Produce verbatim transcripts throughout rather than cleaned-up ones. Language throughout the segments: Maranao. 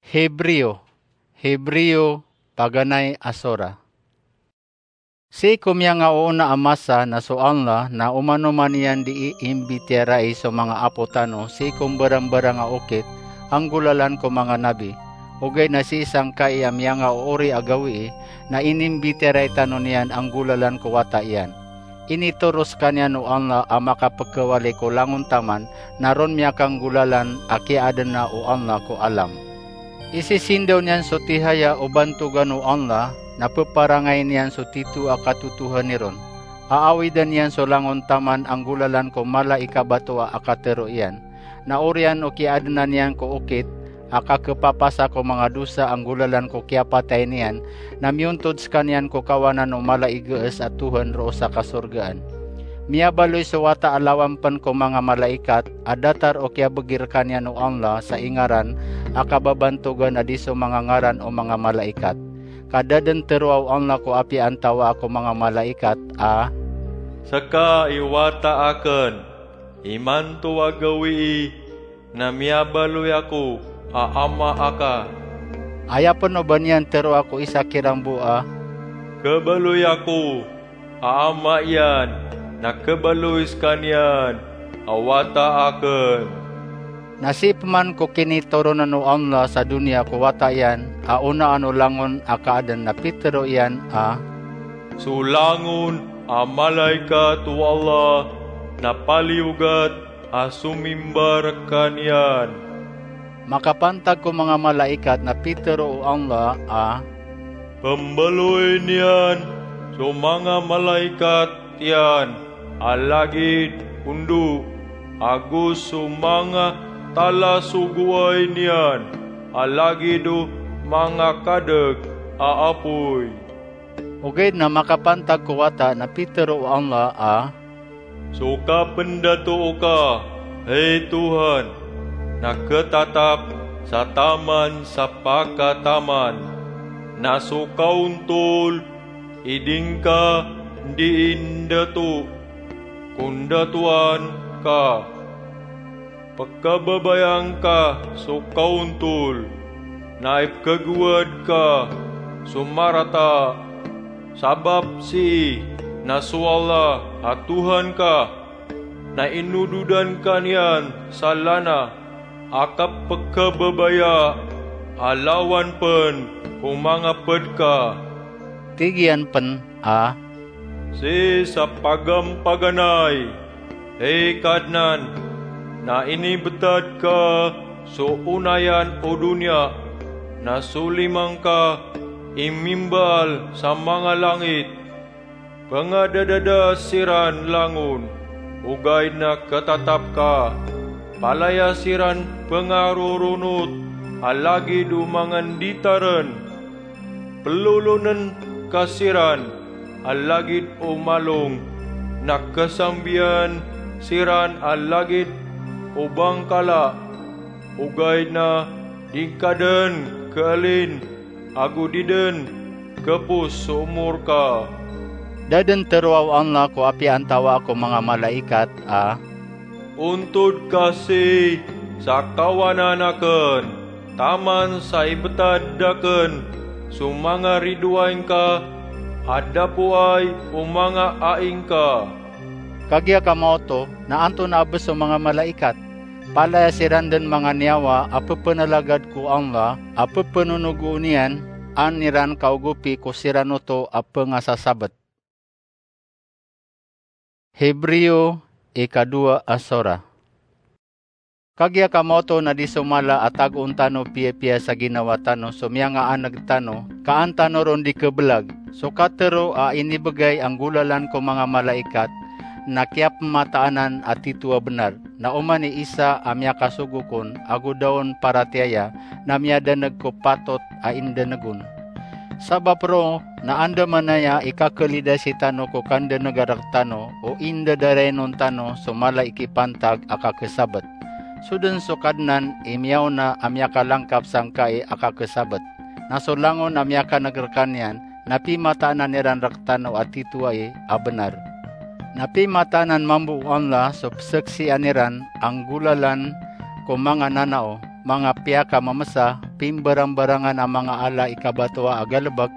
Hebreo, Hebreo, paganay a sora. Sii ko miyangaoona a masa na so Allah na oman-oman iyan dii imbitiyarai so manga apo tano sii ko mbarang-barang a okit a nggolalan ko manga nabi. Ogaid na sii sangkai a miyangaoori a gawii na inimbitiyarai tano niyan a nggolalan ko wata iyan. Initoro skaniyan o Allah a makapkhawali ko langon taman na ron miyakanggolalan a kiyaadna o Allah ko alam. Isisindaw niyan so tihaya o bantogan o Allah na pparangay niyan so tito a katotohani ron. Aawidan iyan so langon taman a nggolalan ko mala i kabatoa a katero iyan. Na oriyan o kiyaadna niyan ko okit a kakhapapasa ko manga dosa a nggolalan ko kiyapatay niyan, na miyontod skaniyan ko kawanan o mala i gees a Tohan roo sa kasorgaan. Miyabaloy so wata a lawan pn ko manga malaikat a datar o kiyabgi rkaniyan o Allah sa ingaran a kababantogan a di so manga ngaran o manga malaikat. Ka da dn teroa o Allah ko apiya antawaa ko manga malaikat a, Ska i wata akn, imanto a gawii na miyabaloy ako a Ama aka. Aya pn o ba niyan teroa ko isa kiran bo a, Khabaloy ako a Ama iyan, na khabaloy skaniyan a wata akn. Na sii pman ko kinitoron o Allah sa doniya ko wata iyan a onaan o langon a kaadn na pitero iyan a, So langon a malaikat o Allah na paliyogat a somimba rkaniyan. Makapantag ko manga malaikat na pitero o Allah a, Pmbaloy niyan so manga malaikat iyan a lagid o ndo, ago so manga talasogoay niyan a lagid o manga kadg a apoy. Ogaid na makapantag ko wata na pitero o Allah a, So kapndatoo ka, hay Tohan, na khatatap sa taman sa pakataman, na so kaontol i di ngka dii ndatoo ko ndatoan ka. Pkhababayaan ka so kaontol, na ipkhagowad ka so marata. Sabap sii na so Allah a Tohan ka na inododan ka niyan sa lana a kapkhababayaa a lawan pn ko manga pd ka. Tig iyan pn a, Sii sa pagampaganay, hay Kadnan, na inibtad ka so onayan o doniya, na so lima ngka i mimbaal sa manga langit. Pngadadada siran langon, ogaid na khatatap ka. Palaya siran pngaroronot a lagid o manga nditarn. Plolonn ka siran a lagid o malong, na khasambian siran a lagid o bangkala, ogaid na di ngka dn khalin ago di dn khapos so omor ka. Da dn teroa o Allah ko apiya antawaa ko manga malaikat a, Ontod ka sii sa kawanan akn, taman sa ibtad akn so manga ridoay ngka a dapoay o manga ai ngka. Kagiya ka maoto, na antonaa bs so manga malaikat? Palaya siran dn manga niyawa a pphnalagad ko Allah a ppnonogoon iyan an iran kaogopi ko siran oto a pngasasabt. Hebreo, ikadowa a sora. Kagiya ka maoto na di so mala a tagoon tano piyapiya sa ginawa tano so miyangaaneg tano, ka an tano ron di khablag. So katharo a inibgay a nggolalan ko manga malaikat na kiyapmataanan a tito a bnar, na oman i isa a miyakasogo kon ago da on paratiyaya na miyadaneg ko patot a indaneg on. Sabap roo na andamanaya i kakhalidasi tano ko kandaneg a rektano o indadarainon tano so mala i kipantag a kakhasabt. So dn so Kadnan i miyaona a miyakalangkap sangkai a kakhasabt. Na so langon a miyakaneg rkaniyan na pimataanan iran rektano a tito ai a bnar. Na pimataanan mambo o Allah so pzaksian iran a nggolalan ko manga nanao, manga piyakamamsa, pimbarambarangan a manga ala i kabatoa a galebek,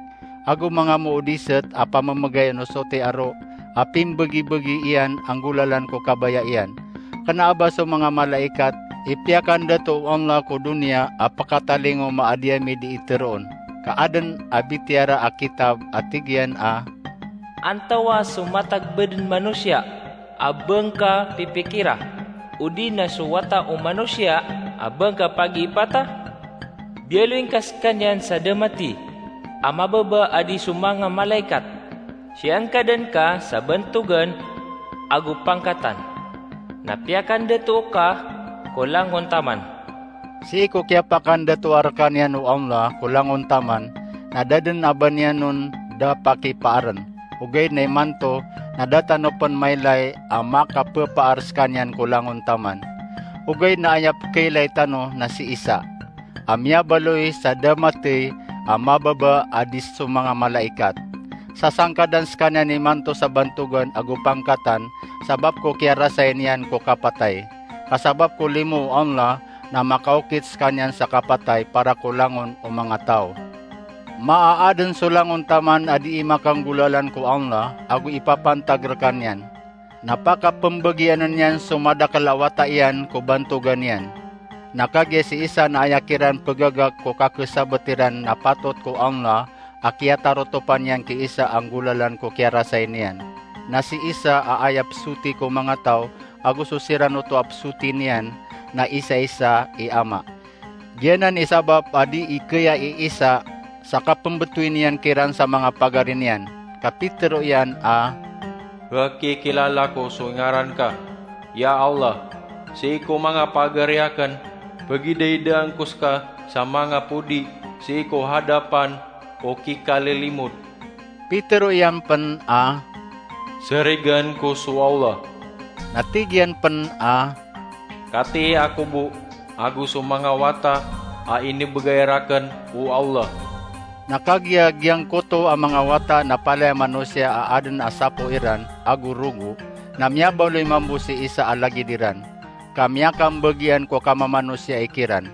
ago manga moodiset a pamemegay o nosoti aro a pimbegibegi iyan a nggolalan ko kabaya iyan. Kena a ba so manga malaikat, ipiyakandato o Allah ko doniya a pekatalingo ma a di ami di iteroon, ka aden a bitiara a kitab a tig iyan a, Antawa so matag beden manosiya a ba ngka pipikira, odi na so wata o manosiya a ba ngka pagiipata? Biyaloy ngka sekaniyan sa da mati a mababa a di so manga malaikat. Siyangkadan ka sa bantogan ago pangkatan, na piyakandatoa ka ko langon taman. Sii ko kiyapakandatoa rekaniyan o Allah ko langon taman, na da den a ba niyan on da pakipaaren. Ogaid na imanto, na da tano pen mailay a makapepaar sekaniyan ko langon taman. Ogaid na aya pekeilay tano na si Isa a miyabaloy sa da mati a mababa a di so manga malaikat. Sasangkadan sekaniyan imanto sa bantogan ago pangkatan, sabap ko kiyarasay niyan ko kapatay. Ka sabap ko limo o Allah, na makaokit sekaniyan sa kapatay para ko langon o manga taw. Maaaden so langon taman a dii makanggolalan ko Allah, ago ipapantag rekaniyan. Na pakapembegianen iyan so madakel a wata iyan ko bantogan iyan. Na kagiya si Isa na aya kiran pegagak ko kakesabet iran na patot ko Allah a kiyatarotopan iyan ki Isa a nggolalan ko kiyarasay niyan. Na si Isa a aya pesoti ko manga taw, ago so siran oto a pesoti niyan, na isaisa i Ama. Giyanan i sabap a dii keya i Isa sa kapembetowi niyan kiran sa manga pagari niyan, ka pitero iyan a, Pekikilala ko so ngaran ka, ya Allah, sii ko manga pagari aken, pegidaidaan ko seka sa manga podi sii ko hadapan o kikalilimod. Pitero iyan pen a, Sarigan ko so Allah. Na tig iyan pen a, Katii ako bo, ago so manga wata a inibegay raken o Allah. Na kagiya giyangkoto a manga wata na palaya manosiya a aden a sapo iran ago rogo, na miyabaloy mambo si Isa a lagid iran, ka miyakambegian ko kamamanosiya ikiran.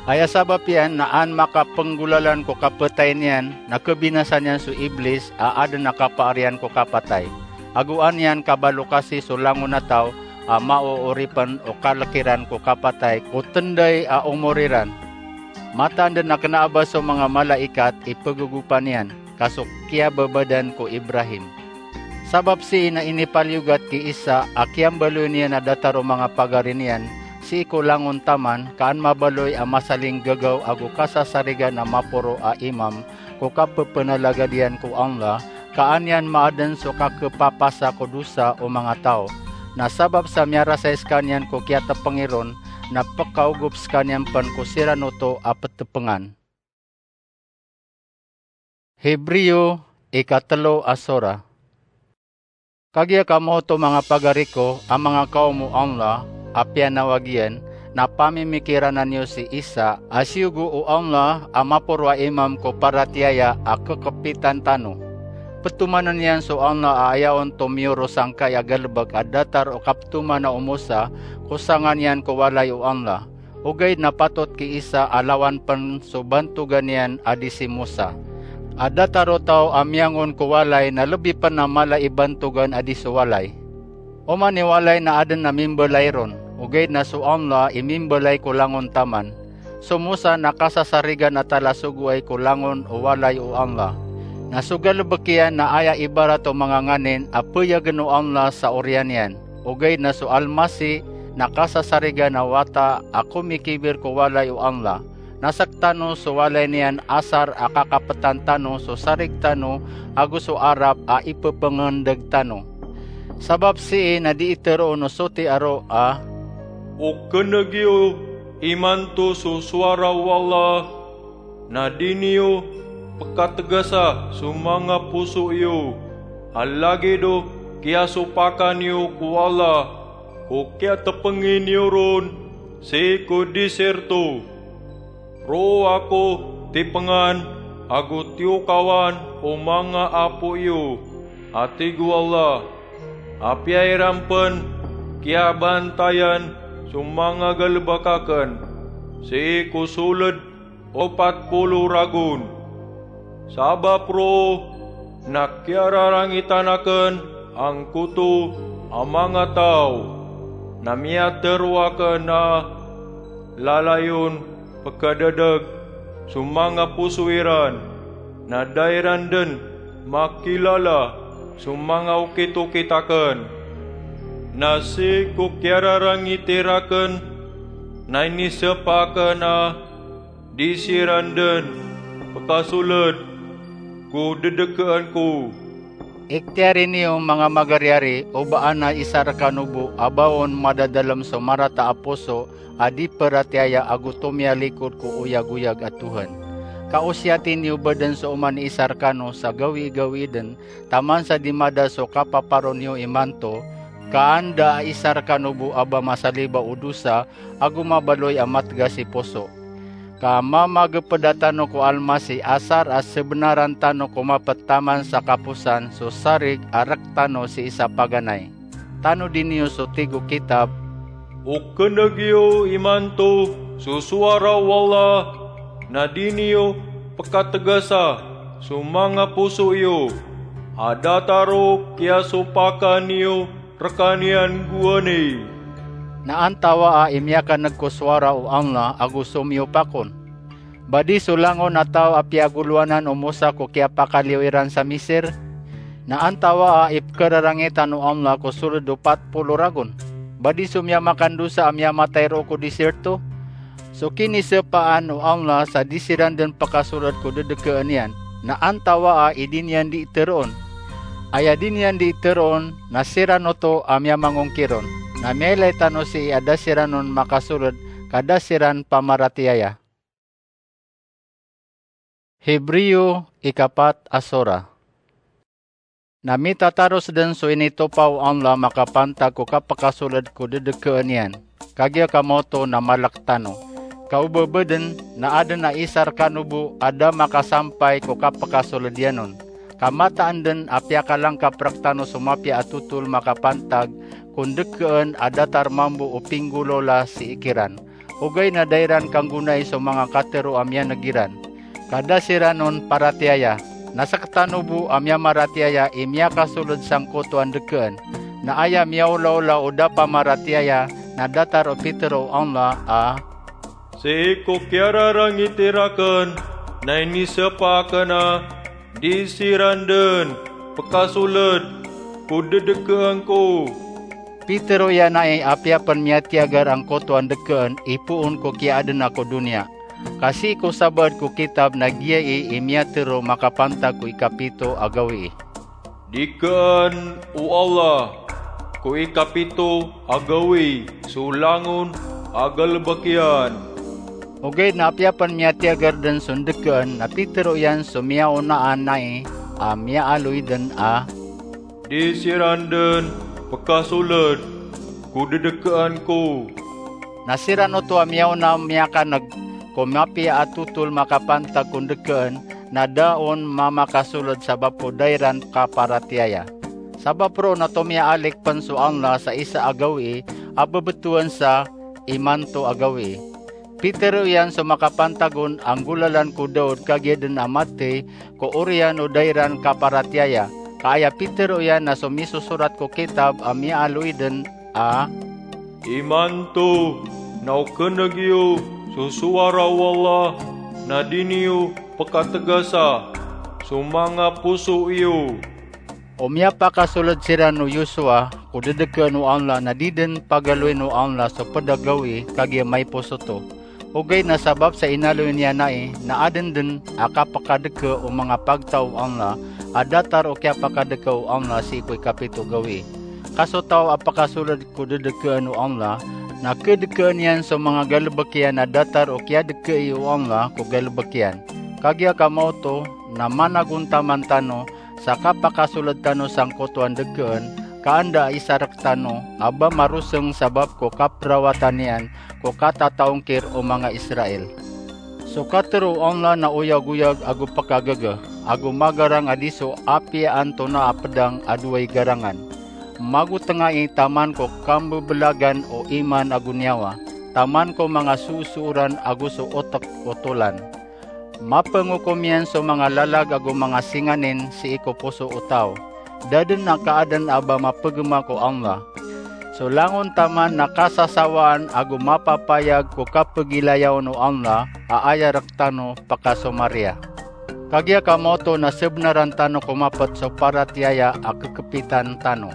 Aya sabap iyan na an makapenggolalan ko kapetay niyan, na kebinasa niyan so Iblis a aden a kapaar iyan ko kapatay. Ago an iyan kabalokasi so langon a taw a maooripen o kalek iran ko kapatay ko tenday a omor iran. Mataan den a kena a ba so manga malaikat i pegegopan iyan, ka so kiyababadan ko Ibrahim. Sabap sii na inipaliyogat ki Isa a kiyambaloy niyan a datar o manga pagari niyan sii ko langon taman, ka an mabaloy a masalinggagaw ago kasasarigan a maporo a imam ko kapepenalagad iyan ko Allah, ka an iyan maaden so kakepapasa ko dosa o manga taw. Na sabap sa miyarasay sekaniyan ko kiyatepeng iron, na pekaogop sekaniyan pen ko siran oto a petepengan. Hebreo, ikatelo a sora. Kagiya kamo oto, manga pagari ko, a manga kaom o Allah a piyanawag iyan, na pamimikirana niyo si Isa a siyogo o Allah a maporo a imam ko paratiyaya a kekepitan tano. Petomanen iyan so Allah a aya on tomiyorosangkai a galebek a datar o kapetoman o Mosa ko sanga niyan ko walay o Allah. Ogaid na patot ki Isa a lawan pen so bantogan iyan a di si Mosa a datar o taw a miyangon ko walay na lebi pen a mala i bantogan a di so walay. Oman i walay na aden a mimbelay ron, ogaid na so Allah i mimbelay ko langon taman. So Mosa na kasasarigan a talasogoay ko langon o walay o Allah. Na so galebek iyan na aya ibarat o manga nganin a peyagen o Allah sa oriyan iyan. Ogaid na so Almasi na kasasarigan a wata a komikibir ko walay o Allah. Na sektano so walay niyan asar a kakapetan tano so sarig tano ago so arap a ipepengendeg tano. Sabap sii na dii teroon o soti aro a, Okeneg iyo imanto so sowara o Allah, na di niyo pekategasa so manga poso iyo, a lagid o kiyasopakan iyo ko Allah ko kiyatepengi niyo ron sii ko disirto. Roo ako tipengan ago tiyokawan o manga apo iyo, a tig o Allah. Apiya iran pen kiyabantayan so manga galebek aken sii ko soled o pat polo ragon. Sabap roo na kiyararangitan akn angkoto a manga taw na miyatharo akn a lalayon pkadadg so manga poso iran, na da iran dn makilala so manga okit-okit akn. Na sii ko kiyararangiti rakn na inisapa akn a di siran dn pkasold ko ddkaan ko. Iktiyari niyo, manga magaryari, o ba ana isa rkano bo a ba on madadalm so marata a poso a di paratiyaya ago tomiyalikod ko oyagoyag a Tuhan. Ka osiyati niyo bo dn so oman i isa rkano sa gawii-gawii dn, taman sa di mada so kapaparo niyo imanto, ka anda a isa rkano bo a ba masaliba o dosa ago mabaloy a matgas i poso. Ka mamagpda tano ko Almasih, asar a sbnaran tano ko maptaman sa kaposan so sarig a rktano sii sa paganay. Tanodi niyo so tig o kitab, "O kneg iyo imanto so sowara o Allah, na di niyo pkatgasa so manga poso iyo, a datar o kiyasopakan iyo rkaniyan gowani." Na antawaa i miyakaneg ko sowara o Allah ago somiyop akon? Ba di so langon a taw a piyagolowanan o Mosa ko kiyapakaliyo iran sa Misir? Na antawaa i pkhararangitan o Allah ko sold o pat polo ragon? Ba di so miyamakandosa a miyamatay roo ko desierto? So kinisapaan o Allah sa di siran dn pkasold ko ddkaan iyan, na antawaa i di niyan dii tharoon? Aya di niyan dii tharoon na siran oto a miyamangongkir on, na miyailay tano sii a da siran on makasold ka da siran pamaratiyaya. Hebreo ikapat a sora. Na mitataros dn so initopa o Allah makapantag ko kapakasold ko ddkaan iyan. Kagiya kamaoto na malk tano. Ka o ba ba dn na adn a isa rkano bo a da makasampay ko kapakasold iyan on. Ka mataan dn a piyakalangkap rktano so mapiya a totol makapantag ko ndkaan a datar mambo o pinggolawla sii kiran. Ogaid na da iran kanggonai so manga katharo a miyaneg iran, ka da siran on paratiyaya. Na sktano bo a miyamaratiyaya i miyakasold sangkoto a ndkaan. Na aya miyaolaola o da pamaratiyaya na datar o pitharo o Allah a, "Sii ko kiyararangiti rakn na inisapa akn a di siran dn pkasold ko ddkaan ko." Pitharo iyan ai a apiya pn miyatiyagar angkoto a ndkaan i poon ko kiyaadna ko doniya. Ka sii ko sabaad ko kitab na giyai i miyatharo makapantag ko ikapito a gawii. Dikaan o Allah ko ikapito a gawii so langon a galbk iyan. Ogaid na apiya pn miyatiyagar dn so ndkaan na pitharo iyan so miyaonaan ai a miyaaloy dn a, "Di siran dn pkasold ko ddkaan ko." Na siran oto a miyaona miyakaneg ko mapiya a totol makapantag ko ndkaan na da on mamakasold sabap ko da iran kaparatiyaya. Sabap roo na tomiyaalik pn so Allah sa isa a gawii a bbtowan sa imanto a gawii. Pitharo iyan so makapantag on a nggolalan ko Daud kagiya dn a mathay ko oriyan o da iran kaparatiyaya. Ka aya pitharo iyan na so misosorat ko kitab a miyaaloy dn a, "Imanto na o kneg iyo so sowara o Allah, na di niyo pkatgasa so manga poso iyo." O miyapakasold siran o Yosua ko ddkaan o Allah na di dn pagaloyn o Allah so pd a gawii kagiya maiposo oto. Ogaid na sabap sa inaloy niyan ai na adn dn a kapakadka o manga pagtaw o Allah a datar o kiyapakadka o Allah sii ko ikapito a gawii. Ka so taw a pakasold ko ddkaan o Allah na kdkaan iyan so manga galbk iyan a datar o kiyadkai o Allah ko galbk iyan. Kagiya kamaoto na managontaman tano sa kapakasold tano sangkoto a ndkaan, ka anda a isa rktano a ba marosng sabap ko kaprawatan iyan ko katataongkir o manga Israel. So katharo o Allah na oyagoyag ago pkagaga, ago magarang a di so apiya antonaa a pdang a dowa i garangan. Magotnga i taman ko kambblagan o iman ago niyawa, taman ko manga soosooran ago so otk o tolan. Mapengokom iyan so manga lalag ago manga singanin sii ko poso o taw. Da den a kaaden a ba mapegema ko Allah. So langon taman na kasasawaan ago mapapayag ko kapegilayaon o Allah a aya rektano pekasomaria. Kagiya ka maoto na sebenaran tano ko mapet so paratiyaya a kekepitan tano.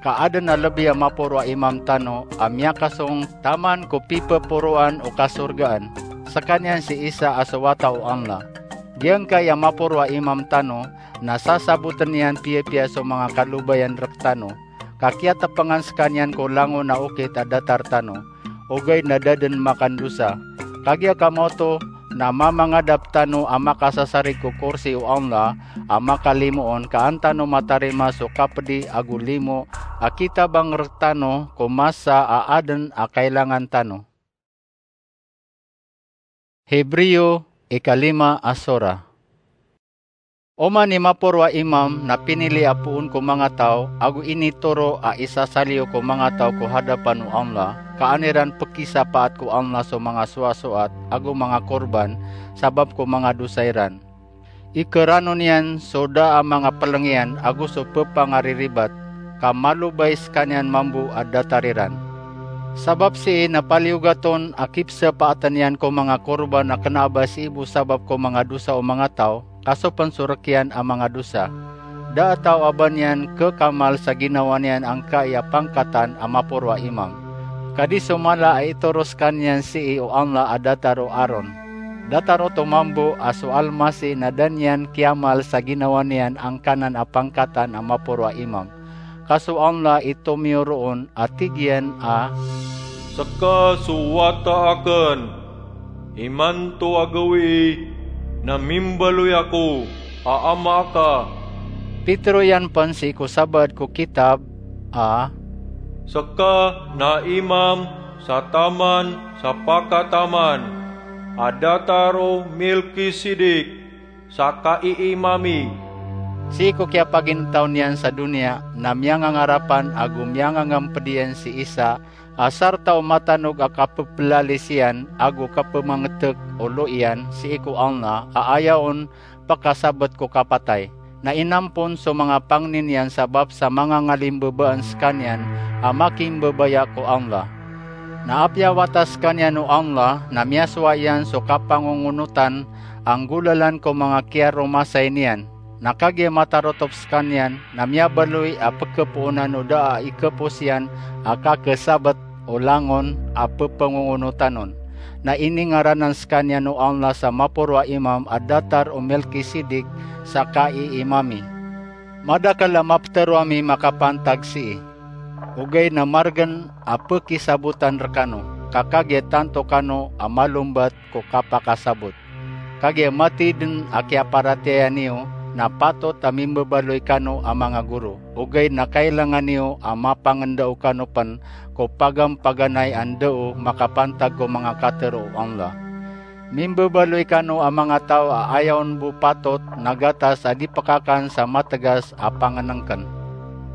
Kaaden a lebi a maporo a imam tano a miyakasong taman ko pipeporoan o kasorgaan, sekaniyan si Isa a so wata o Allah. Giyangkai a maporo a imam tano na sasaboten iyan piyapiya so manga kalobayan rektano, ka kiyatepengan sekaniyan ko langon a okit a datar tano, ogaid na da den makandosa. Kagiya ka maoto na mamangadap tano a makasasarig ko korsi o Allah a makalimoon, ka an tano matarima so kapedi ago limo a kitabang rektano ko masa a aden a kailangan tano. Hebreo ikalima a sora. Oman i maporo a imam na pinili a poon ko manga taw ago initoro a isasaliyo ko manga taw ko hadapan o Allah, ka an iran pekisapaat ko Allah so manga soasoat ago manga korban sabap ko manga dosa iran. Ikeranon iyan so da a manga peleng iyan ago so pepangariribat, ka malobay sekaniyan mambo a datar iran. Sabap sii na paliyogat on a kipsapaaten iyan ko manga korban a kena a ba sii bo sabap ko manga dosa o manga taw, ka so pen so rekiyan a manga dosa. Da a taw a ba niyan kekamal sa ginawa niyan angkai a pangkatan a maporo a imam. Ka di so mala a itoro sekaniyan sii o Allah a datar o Aron. Datar oto mambo a so Almasih na da niyan kiyamal sa ginawa niyan angkanan a pangkatan a maporo a imam. Ka so Allah i tomiyo roon a tig iyan a, "Seka so wata aken, imanto a gawii na mimbaloy ako a Ama aka." Pitero iyan pen sii ko sabaad ko kitab a, "Seka na imam sa taman sa pakataman, a datar o Melkisedek sa kaiimami." Sii ko kiyapaginetaw niyan sa doniya na miyangangarapan ago miyangangemped iyan si Isa a sarta o matanog a kapepelalis iyan ago kapemangetek o lo iyan sii ko Allah a aya on pekasabet ko kapatay. Na inampon so manga pangni niyan sabap sa manga ngalimbebaan sekaniyan a makimbebaya ko Allah. Na apiya wata sekaniyan o Allah na miyasowa iyan so kapangongonotan a nggolalan ko manga kiyaromasay niyan. Na kagiya matarotop sekaniyan na miyabaloy a pekepoonan o da a ikepos iyan a kakesabet o langon a pepengongonotan on. Na iningaranan sekaniyan o Allah sa maporo a imam a datar o Melkisedek sa kaiimami. Madakel a mapetero ami makapantag sii. Ogaid na margen a pekisabotan rekano, ka kagiya tanto kano a malombat ko kapakasabot. Kagiya matey den a kiyaparatiyaya niyo na patot a mimbebaloy kano a manga goro, ogaid na kailangan iyo a mapangendao kano pen ko pagampaganay a ndao makapantag ko manga katero o Allah. Mimbebaloy kano a manga taw a aya on bo patot na gatas a di pekakan sa mategas a pangenengken.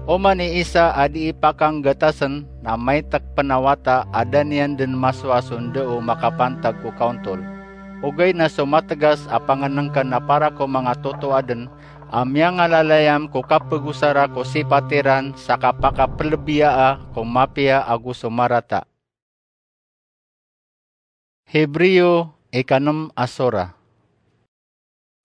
Oman i isa a di ipakangatasen na maitek pen a wata a da niyan den masowa so ndao makapantag ko kaontol. Ogaid na so mategas a pangenengken a para ko manga totoa den a miyangalalayam ko kapegosara ko sipat iran sa kapakapelebiyaa ko mapiya ago so marata. Hebreo ikanem a sora.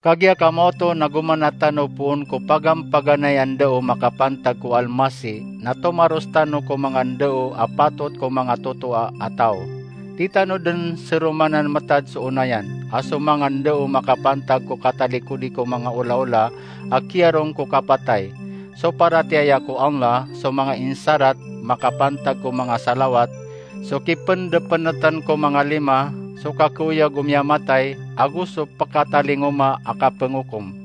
Kagiya ka maoto na gomana tano poon ko pagampaganay a ndao makapantag ko Almasih, na tomaros tano ko manga ndao a patot ko manga totoa a taw. Di tano den seromanan metad so onayan a so manga ndao makapantag ko katalikodi ko manga olaola a kiyarong ko kapatay. So paratiyaya ko Allah, so manga insarat makapantag ko manga salawat, so kipendepeneten ko manga lima, so kakeoyag o miyamatay, ago so pekatalingoma a kapengokom.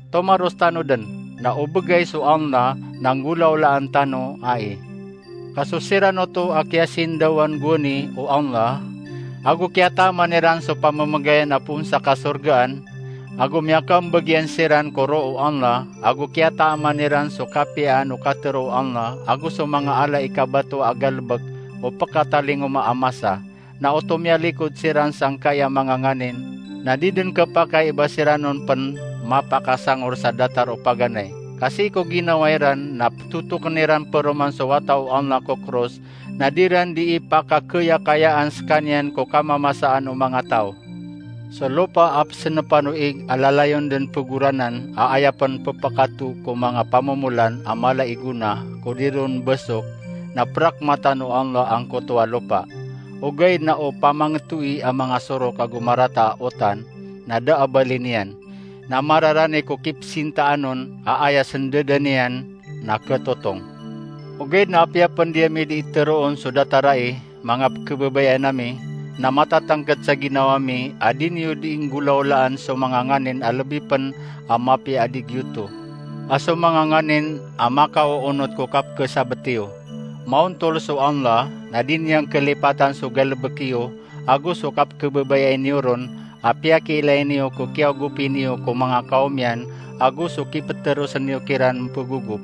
Tomaros tano den, na o begay so Allah na nggolaolaan tano ai. Ka so siran oto a kiyasindawan gowani o Allah, ago kiyataman iran so pamemegayan a poon sa kasorgaan, ago miyakambeg iyan siran ko roo o Allah, ago kiyataman iran so kapiyaan o katero o Allah, ago so manga ala i kabato a galebek o pekatalingoma a masa, na oto miyalikod siran sangkai a manga nganin, Na di den kepakay i ba siran on pen mapakasangor sa datar o paganay. Ka sii ko ginawa iran na petotoken iran peroman so wata o Allah ko kros, na di ran di ipakakeyakayaan sekaniyan ko kamamasaan o manga taw. So lopa a pesenepan o ig a lalayon den pegoranan a aya pen pepakato ko manga pamomolan a mala i gona ko di ron besok, na perakmatan o Allah angkoto a lopa. Ogaid na o pamangetoi a manga sorok ago marata a otan, na da a bali niyan. Na mararani ko kipsintaan on a aya sendeden iyan na ketotong. Ogaid na apiya pen di ami di iteroon so datar ai, manga pekebabayaan ami, na matatangked sa ginawa mi a di niyo di inggolaolaan so manga nganin a lebi pen a mapiya a di giyoto. A so manga nganin a makaoonot ko kapekesabet iyo. Maontol so Allah, na di niyan kelipatan so galebek iyo, ago so kapekebabayai niyo ron, a piyakiilay niyo ko kiyaogopi niyo ko manga kawm iyan, ago so kipeterosen iyo kiran mpegogop.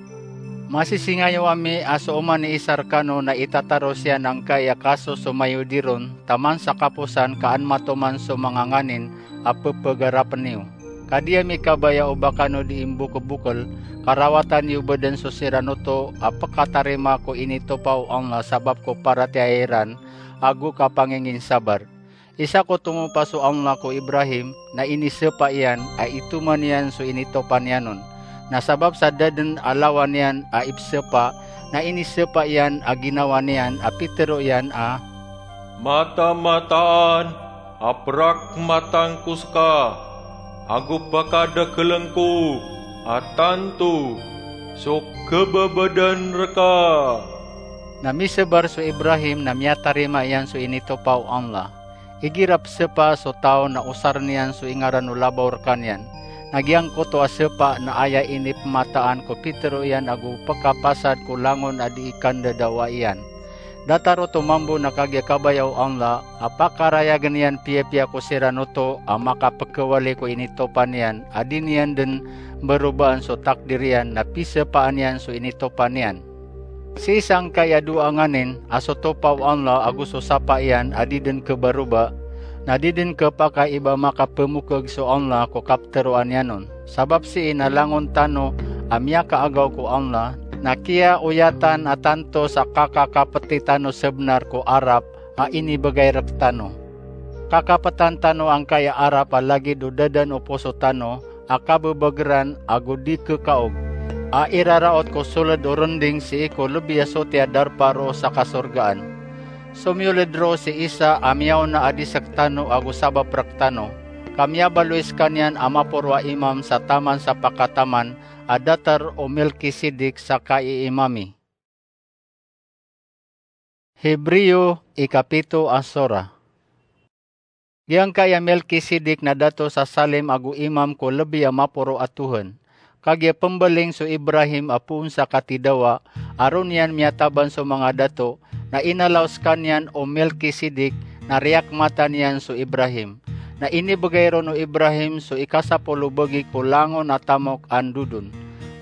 Masisingayo ami a so oman i isa rekano na itataros iyan angkai a kasosomayo di ron, taman sa kaposan ka an matoman so manga nganin a pepegarapen iyo. Ka di ami kabaya o ba kano di imbokelbokel, ka rawatan iyo bo den so siran oto a pekatarima ko initopa o Allah sabap ko paratiyaya iran, ago kapanginginsabar. Isa ko tomopa so Allah ko Ibrahim, na inisepa iyan a itoman iyan so initopa niyan on. Na sabap sa da den a lawan iyan a ipsepa, na inisepa iyan a ginawa niyan a pitero iyan a, "Matamataan a perakmatan ko seka, ago pakadakelen ko a tanto so kebebedan reka." Na misebar so Ibrahim na miyatarima iyan so initopa o Allah. Igira pesepa so taw na osaren iyan so ingaran o labaw rekaniyan. Na giyangkoto a sepa na aya inipemataan ko pitero iyan ago pekapasad ko langon a di ikandadawa iyan. Datar oto mambo na kagiya kabaya o Allah a pakarayagen iyan piyapiya ko siran oto a makapekewali ko initopa niyan a di niyan den mberobaan so takdir iyan na pisepaan iyan so initopa niyan. Sii sangkai a dowa a nganin a so topa o Allah ago so sapa iyan a di den kebaroba, na di den kepakay i ba makapemokeg so Allah ko kapeteroan iyan on. Sabap sii na langon tano a miyakaagaw ko Allah, na kiyaoyatan a tanto sa kakakapeti tano sebenar ko arap a inibegay rektano. Kakapetan tano angkai a arap a lagid o dadan o poso tano a kabebegeran ago di kekaog, a iraraot ko soled o rending sii ko lebi a soti a darpa roo sa kasorgaan. Somiyoled roo si Isa a miyaona a di sektano ago sabap rektano, ka miyabaloy sekaniyan a maporo a imam sa taman sa pakataman a datar o Melkisedek sa kaiimami. Hebreo ikapito a sora. Giyangkai a Melkisedek na dato sa Salem ago imam ko lebi a maporo a Tuhan. Kagiya pembaling so Ibrahim a poon sa katidawa, a ron iyan miyataban so manga dato, na inalaw sekaniyan o Melkisedek na riyakmatan iyan so Ibrahim. Na inibegay ron o Ibrahim so ikasapolo bagi ko langon a tamok a ndodon.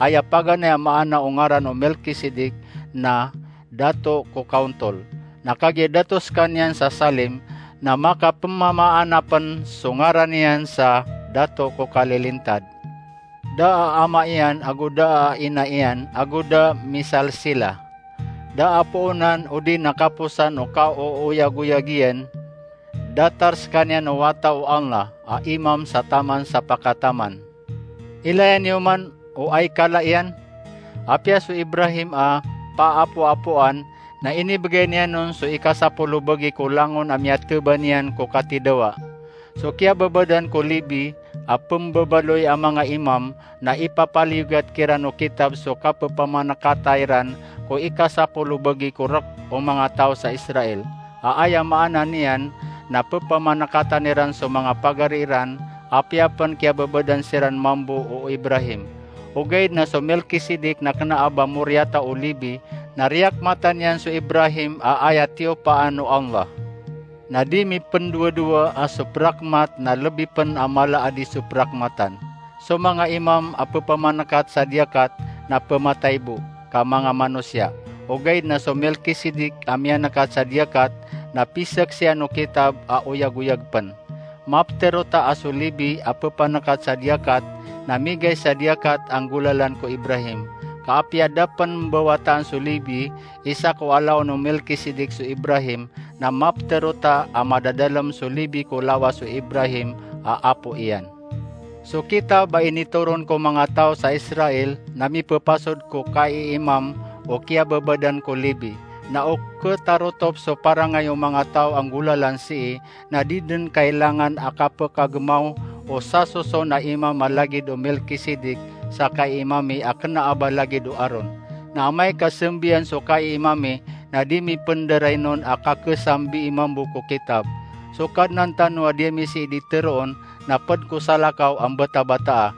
Aya paganay a maana o ngaran o Melkisedek na dato ko kaontol. Na kagiya dato sekaniyan sa Salem, na makapemamaana pen so ngaran iyan sa dato ko kalilintad. Da a ama iyan ago da a ina iyan ago da misalsila. Da a poonan odi na kaposan o kaooyagoyag iyan, datar sekaniyan o wata o Allah a imam sa taman sa pakataman. Ilaya niyo man o aikala iyan. Apiya so Ibrahim a paapoapoan, na inibegay niyan on so ikasapolo bagi ko langon a miyateba niyan ko katidawa. So kiyababadan ko Lebi a pembabaloy a manga imam na ipapaliyogat kiran o kitab so kapepamanekata iran ko ikasapolo bagi ko rek o manga taw sa Israel. A aya maana niyan na pepamanekatan iran so manga pagari iran, apiya pen kiyababadan siran mambo o Ibrahim. Ogaid na so Melkisedek na kena a ba moriyata o Lebi, na riyakmatan iyan so Ibrahim a aya tiyopaan o Allah. Na di mipendowadowa a so perakmat na lebi pen a mala a di so perakmatan. So manga imam a pepamanekat sa diyakat na pematay bo, ka manga manosiya. Ogaid na so Melkisedek a miyanekat sa diyakat na piseksian o kitab a oyagoyag pen. Maptero ta a so Lebi a pepanekat sa diyakat, na migay sa diyakat a nggolalan ko Ibrahim. Ka apiya da pen mbawataan so Lebi, isa ko alaon o Melkisedek so Ibrahim, na maptero ta a madadalem so Lebi ko lawas o Ibrahim a apo iyan. So kitab a initoron ko manga taw sa Israel na mipepasod ko kaiimam o kiyababadan ko Lebi. Na o ketarotop so parangay o manga taw a nggolalan sii, na di den kailangan a kapekagemaw o sasoson a imam a lagid o Melkisedek sa kaiimami a kena a ba lagid o Aron. Na amay ka sembiyan so kaiimami, na di mi penderainon a kakesambiimam bo ko kitab. So Kadnan tano a di ami sii di teroon, na ped ko salakaw a mbatabataa.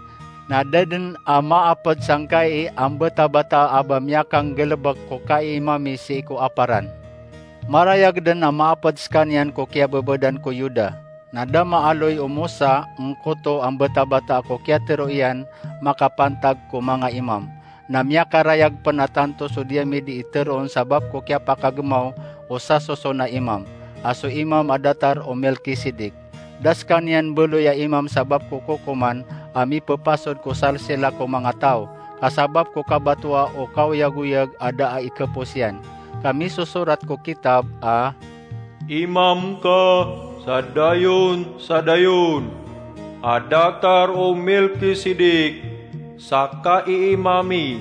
Na da den a maaped sangkai a mbatabataa a ba miyakanggelebek ko kaiimami sii ko aparan. Marayag den a maaped sekaniyan ko kiyababadan ko Yuda. Na da maaloy o Mosa ngkoto a mbatabataa ko kiyatero iyan makapantag ko manga imam. Na miyakarayag pen a tanto so di ami di iteroon sabap ko kiyapakagemaw o sasoson a imam, a so imam a datar o Melkisedek. Da sekaniyan beloy a imam sabap ko kokoman a mipepasod ko salsila ko manga taw, ka sabap ko kabatoa o kaoyagoyag a da a ikepos iyan. Ka misosorat ko kitab a, "Imam ka sa dayon sa dayon, a datar o Melkisedek sa kaiimami."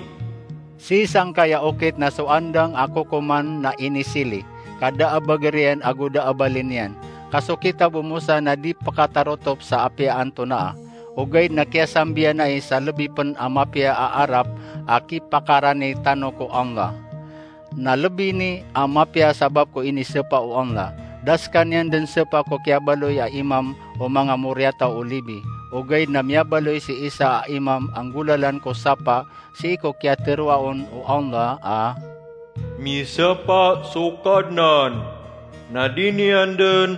Sii sangkaya okit na so andang a kokoman na inisili, ka da a bager iyan ago da a bali niyan. Ka so kitab o Mosa na di pekatarotop sa apiya antonaa. Ogaid na kiyasambiyan ai sa lebi pen a mapiya a arap a kipakarani tano ko Allah. Na lebi ini a mapiya sabap ko inisepa o Allah. Da sekaniyan den sepa ko kiyabaloy a imam o manga moriyataw o Lebi. Ogaid na miyabaloy si isa a imam a nggolalan ko sapa sii ko kiyateroa on o Allah a, "Misepa so Kadnan, na di niyan den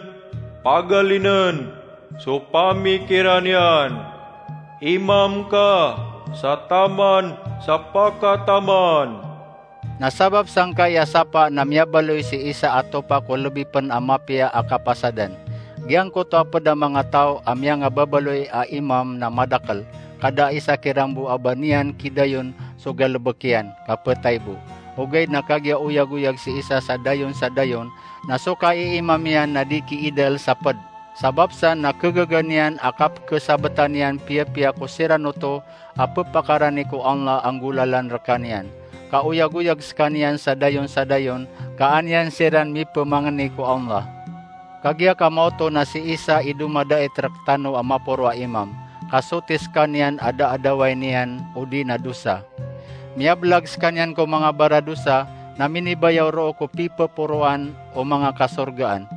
pagalinen so pamikiran iyan. Imam ka sa taman sa pakataman." Na sabap sangkai a sapa na miyabaloy si isa a topa ko lebi pen a mapiya a kapasadan. Giyangkoto a ped a manga taw a miyangababaloy a imam na madakel, ka da isa kiran bo a ba niyan kidayon so galebek iyan, ka petay bo. Ogaid na kagiya oyagoyag si isa sa dayon sa dayon, na so kaiimam iyan na di kiidal sa ped. Sabap san na kegaga niyan a kapkesabetan iyan piyapiya ko siran oto a pepakarani ko Allah a nggolalan rekaniyan. Ka oyagoyag sekaniyan sa dayon sa dayon, ka an iyan siran mipemangeni ko Allah. Kagiya kamaoto na si Isa i domadait rektano a maporo a imam, ka soti sekaniyan a da a dawai niyan odi na dosa. Miyablag sekaniyan ko manga baradosa, na minibayaw roo ko pipeporoan o manga kasorgaan.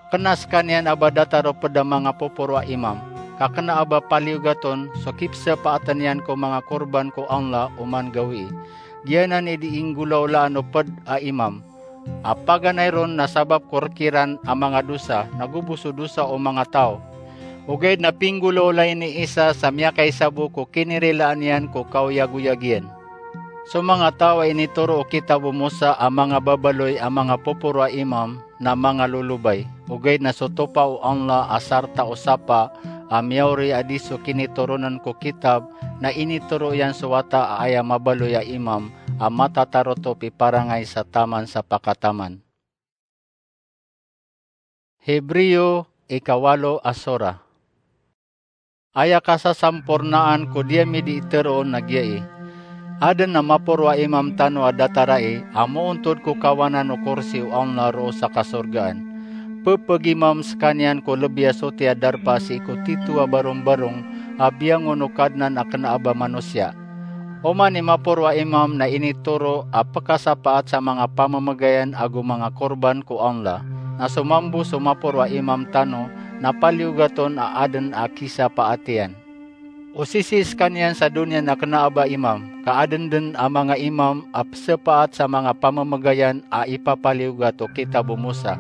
Kena sekaniyan a ba datar o ped a manga poporo a imam, ka kena a ba paliyogat on so kipsepaaten iyan ko manga korban ko Allah oman gawii. Giyanan i di inggolaolaan o ped a imam. A paganay ron na sabap ko rek iran a manga dosa, nago bo so dosa o manga taw. Ogaid na pinggolaolay ni Isa sa miyakaisa bo ko kinirilaan iyan ko kaoyagoyag iyan. So manga taw a initoro o kitab o Mosa a manga babaloy a manga poporo a imam na manga lolobay. Ogaid na so topa o Allah a sarta o sapa a miyaori a di so kinitoronen ko kitab, na initoro iyan so wata a aya mabaloy a imam a matatarotop i parangay sa taman sa pakataman. Hebreo, ikawalo a sora. Aya kasasampornaan ko di ami di iteroon na giyai: Aden a maporo a imam tano a datarai a moontod ko kawanan o korsi o Allah roo sa kasorgaan. Pepegimam sekaniyan ko lebi a soti a darpa sii ko tito a barombarong a biyangon o Kadnan a kena a ba manosiya. Oman i maporo a imam na initoro a pekasapaat sa manga pamemegayan ago manga korban ko Allah. Na so mambo so maporo a imam tano na paliyogat on a aden a kisapaat iyan. Osisi sekaniyan sa doniya na kena a ba imam, ka aden den a manga imam a pesepaat sa manga pamemegayan a ipapaliyogat o kitab o Mosa.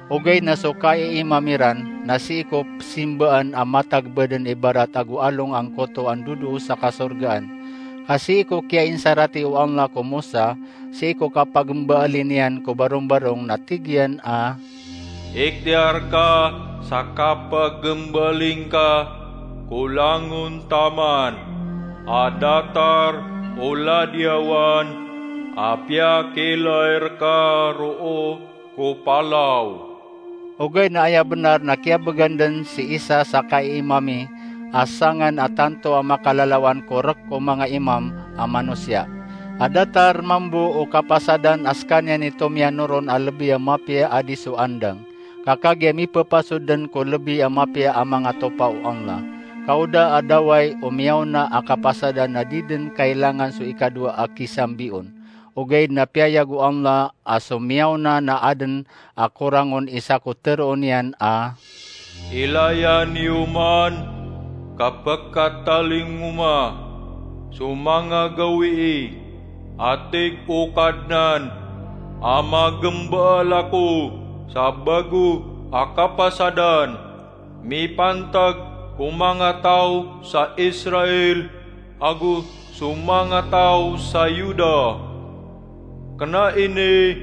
Ogaid na so kaiimam iran na sii ko pesimbaan a matag baden ibarat ago along angkoto a ndodoo sa kasorgaan. Ka sii ko kiyainsarat o Allah ko Mosa, sii ko kapagembaalin iyan ko barombarong na tig iyan a, "Ikhtiyar ka sa kapagmbali ngka ko langon taman a datar o ladiyawan a piyakiilay rka roo ko palaw. Ogaid na aya bnar na kiyabegan den si Isa sa kaiimami a sangan a tanto a makalalawan ko rk o manga imam a manosiya. A datar mambo o kapasadan a skaniyan i tomiyanoron a lbi a mapiya a di so andang. Ka kagiya mipepasod den ko lbi a mapiya a manga topa o Allah. Ka o da a daway o miyaona a kapasadan na di den kailangan so ikadowa a kisambion. Ogaid na piyayag o Allah a so miyaona na aden a korangon i sako teroon iyan a, Ilaya niyo man ka pekatalingoma so manga gawii a tig o Kadnan a magembaal ako sa bago a kapasadan mipantag ko manga taw sa Israel ago so manga taw sa Yuda. Kena ini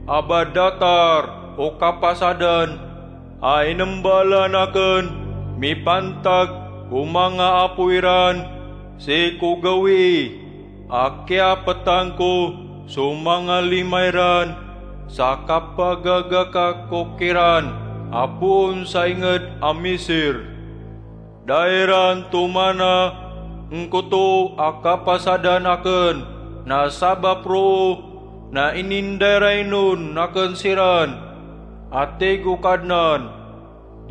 a ba datar o kapasadan a inembaalan aken mipantag ko manga apo iran sii ko gawii a kiyapetan ko so manga lima iran sa kapagagakakok iran a poon sa inged a Misir. Da iran tomana ngkoto a kapasadan aken, na sabap roo na inindairainon aken siran, a tig o Kadnan.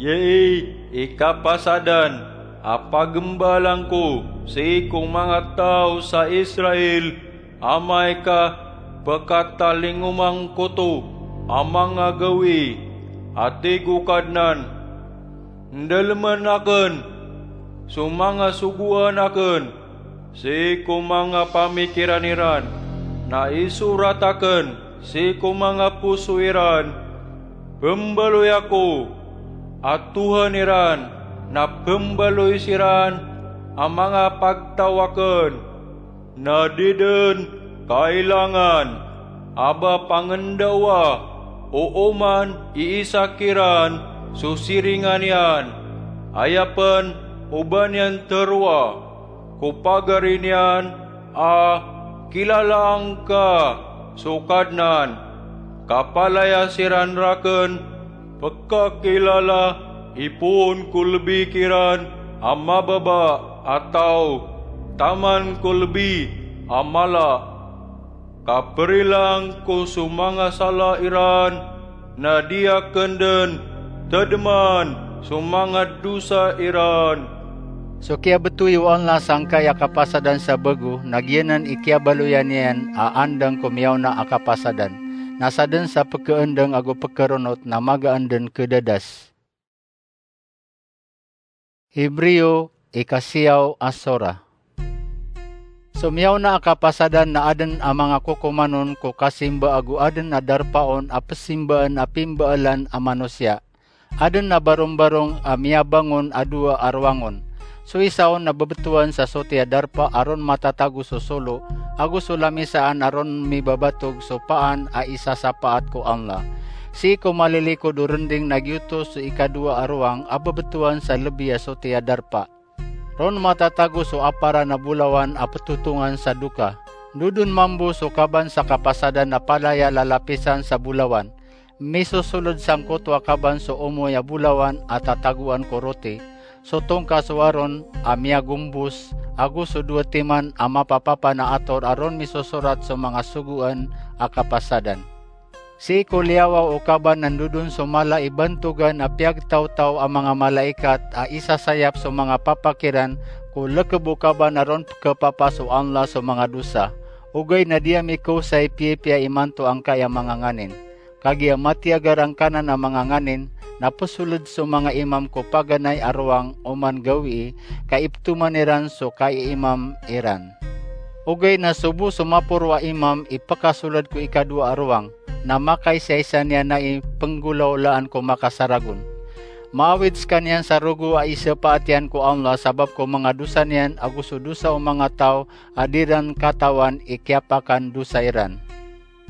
Giyai i kapasadan a pagembaalan ko sii ko manga taw sa Israel, amay ka pekatalingoma ngkoto a manga gawii, a tig o Kadnan. Ndalemen aken so manga sogoan aken sii ko manga pamikiran iran, na isorat aken sii ko manga poso iran. Pembaloy ako a Tohan iran, na pembaloy siran a manga pagtaw aken. Na di den kailangan a ba pangendawa o oman iisa kiran so siringan iyan, aya pen o ba niyan teroa ko pagari niyan a kilalaan ka so Kadnan. Kapalaya siran raken pekakilala i poon ko lbi kiran a mababa a taw taman ko lbi a mala. Kaperilaan ko so manga sala iran, na di aken den tedeman so manga dosa iran. So kiyabetowi o Allah sangkai a kapasadan sa bago, na giyanan i kiyabaloyan iyan a andang ko miyaona a kapasadan. Na saden sa pekeendang ago pekeronot na magaan den kedadas. Hebreo, ikasiyaw a sora. So miyaona a kapasadan na aden a manga kokoman on ko kasimba ago aden a darpa on a pesimbaan a pimbaalan a manosiya. Aden a barombarong a miyabangon a dowa a rowang on. So isa on na bebetowan sa soti a darpa a ron matatago so solo, ago so lamisaan a ron mibabatog so paan a isasapaat ko Allah. Sii ko malilikod o rending na giyoto so ikadowa a rowang a bebetowan sa lebi a soti a darpa. Ron matatago so aparan a bolawan a petotongan sa doka. Ndodon mambo so kaban sa kapasadan a palaya lalapisan sa bolawan. Misosoled sangkoto a kaban so omoy a bolawan a tatagoan ko roti, so tongka so Aron a miyagombos, ago so dowa timan a mapapapa na ator a ron misosorat so manga sogoan a kapasadan. Sii ko liyawaw o kaban na ndodon so mala i bantogan a piyagtawtaw a manga malaikat a isasayap so manga papak iran ko lekeb o kaban a ron pekepapa so Allah so manga dosa. Ogaid na di ami kawsay piyapiya imanto angkai a manga nganin. Kagiya matiyagar angkanan a manga nganin, na pesoled so manga imam ko paganay a rowang oman gawii, ka ipetoman iran so kaiimam iran. Ogaid na so bo so maporo a imam i pekasoled ko ikadowa a rowang, na makaisaisa niyan na i penggolawlaan ko makasaragon. Maawid sekaniyan sa rogo a isapaat iyan ko Allah sabap ko manga dosa niyan ago so dosa o manga taw a di ran katawan i kiyapakandosa iran.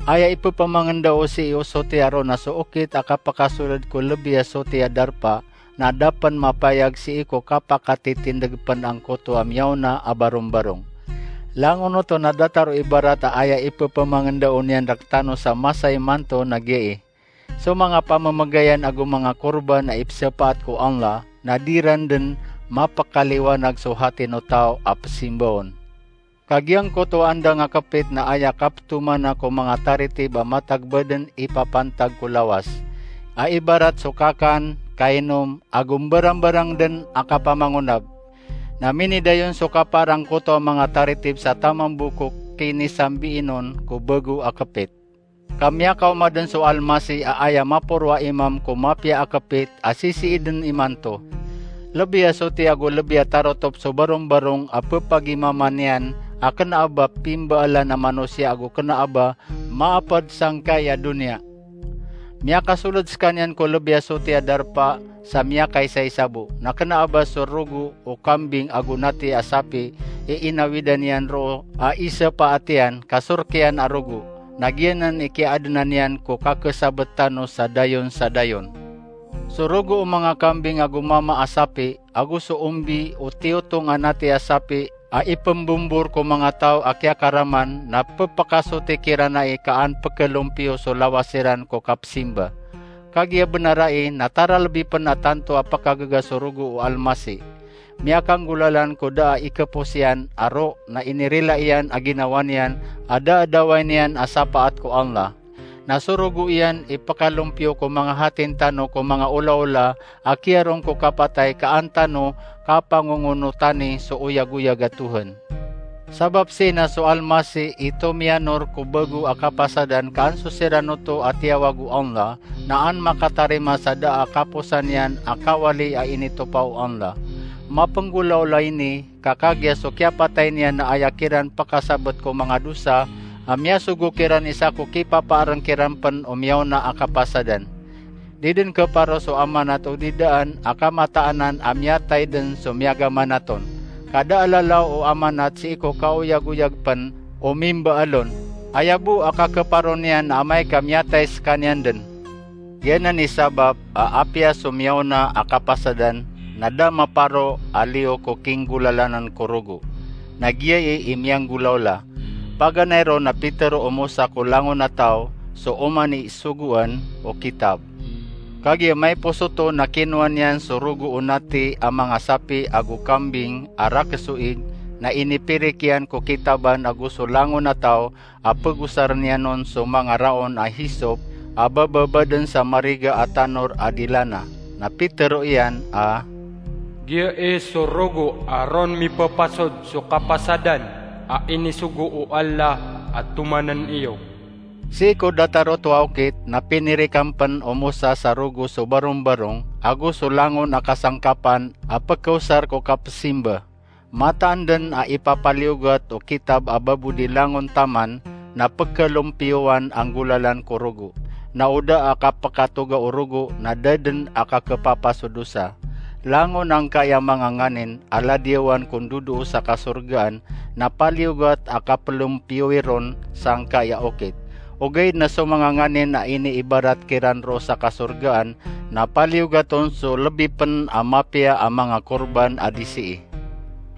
Aya ipepamangenda o sii o soti a ron na so okit a kapakasoled ko lebi a soti a darpa, na da pn mapayag sii ko kapakatitindg pn angkoto a miyaona a barombarong. Langon oto na datar o ibarat a aya ipphmangndao niyan rktano sa masa imanto na giyai: so manga pamamagayan ago manga korban a ipsapaat ko Allah na di ran dn mapkaliwanag so hati o taw a pzimba on. Ka giyangkoto a andang a kpit na aya kaptomana ko manga taritib a matag ba dn ipapantag ko lawas, a ibarat so kakan, kainom, ago mbarangbarang dn a kapamangonab. Na minidayon so kapaar angkoto a manga taritib sa taman bo ko kinisambiin on ko bago a kpit. Ka miyakaoma dn so Almasih a aya maporo a imam ko mapiya a kpit a sisii dn imanto. Lbi a soti ago lbi a tarotop so barombarong a pphagimama niyan a kna a ba pimbaalan a manosiya ago kna a ba maapd sangkai a doniya. Miyakasold skaniyan ko lbi a soti a darpa sa miyakaisaisa bo, na kna a ba so rogo o kambing ago nati a sapi i inawidan iyan roo a isapaat iyan ka sork iyan a rogo, na giyanan i kiyaadna niyan ko kakasabet tano sa dayon sa dayon. So rogo o manga kambing ago mama a sapi, ago so ombi o tiyotong a nati a sapi a ipmbombor ko manga taw a kiyakaraman, na pphakasoti kiran ai ka an pkhalompiyo so lawas iran ko kapzimba. Kagiya bnar ai na taralbi pn a tanto a pkagaga so rogo o Almasih. Miyakanggolalan ko da a ikapos iyan a roo na inirila iyan a ginawa niyan a da a dawai niyan a sapaat ko Allah. Na so rogo iyan i pkhalompiyo ko manga hatin tano ko manga olaola a kiyarong ko kapatay ka an tano kapangongonotani so oyagoyag a Tuhan. Sabap sii na so Almasih i tomiyanor ko bago a kapasadan ka an so siran oto a tiyawag o Allah na an makatarima sa da a kaposan iyan a kawali a initopa o Allah. Mapnggolaola ini ka kagiya so kiyapatay niyan na aya kiran pkasabet ko manga dosa a miyasogo kiran i sa ko kipapaarng kiran pn o miyaona a kapasadan. Di dn khaparo so amanat odi daan a kamataanan a miyatay dn so miyagamanat on. Ka da a lalaw o amanat sii ko kaoyagoyag pn o mimbaal on. Aya bo a kakhaparo niyan na amay ka miyatay skaniyan dn. Giyanan i sabap a apiya so miyaona a kapasadan na da maparo a liyo ko kinggolalanan ko rogo. Na giyai i miyanggolaola. Paganay ron na pitharo o Mosa ko langon a taw so oman i sogoan o kitab. Kagiya maipos oto na kinowa niyan so rogo o nati a manga sapi ago kambing a rakes o ig, na inipirik iyan ko kitaban ago so langon a taw a pagosar niyan on so manga raon a hisop a bababa dn sa mariga a tanor a dilana. Na pitharo iyan a, "Giyai so rogo a ron mipapasod so kapasadan a inisogo o Allah a tomanan iyo." Sii ko datar oto a okit na pinirikan pn o Mosa sa rogo so barombarong ago so langon a kasangkapan a pkaosar ko kapzimba. Mataan dn a ipapaliyogat o kitab a babo di langon taman na pkhalompiyowan a nggolalan ko rogo. Na o da a kapkatoga o rogo na da dn a kakhapapa so dosa. Langon angkai a manga nganin a ladiyawan ko ndodoo sa kasorgaan na paliyogat a kaplompiyowi ron sangkai a okit. Ogaid na so manga nganin a iniibarat kiran roo sa kasorgaan na paliyogat on so lbi pn a mapiya a manga korban a disii.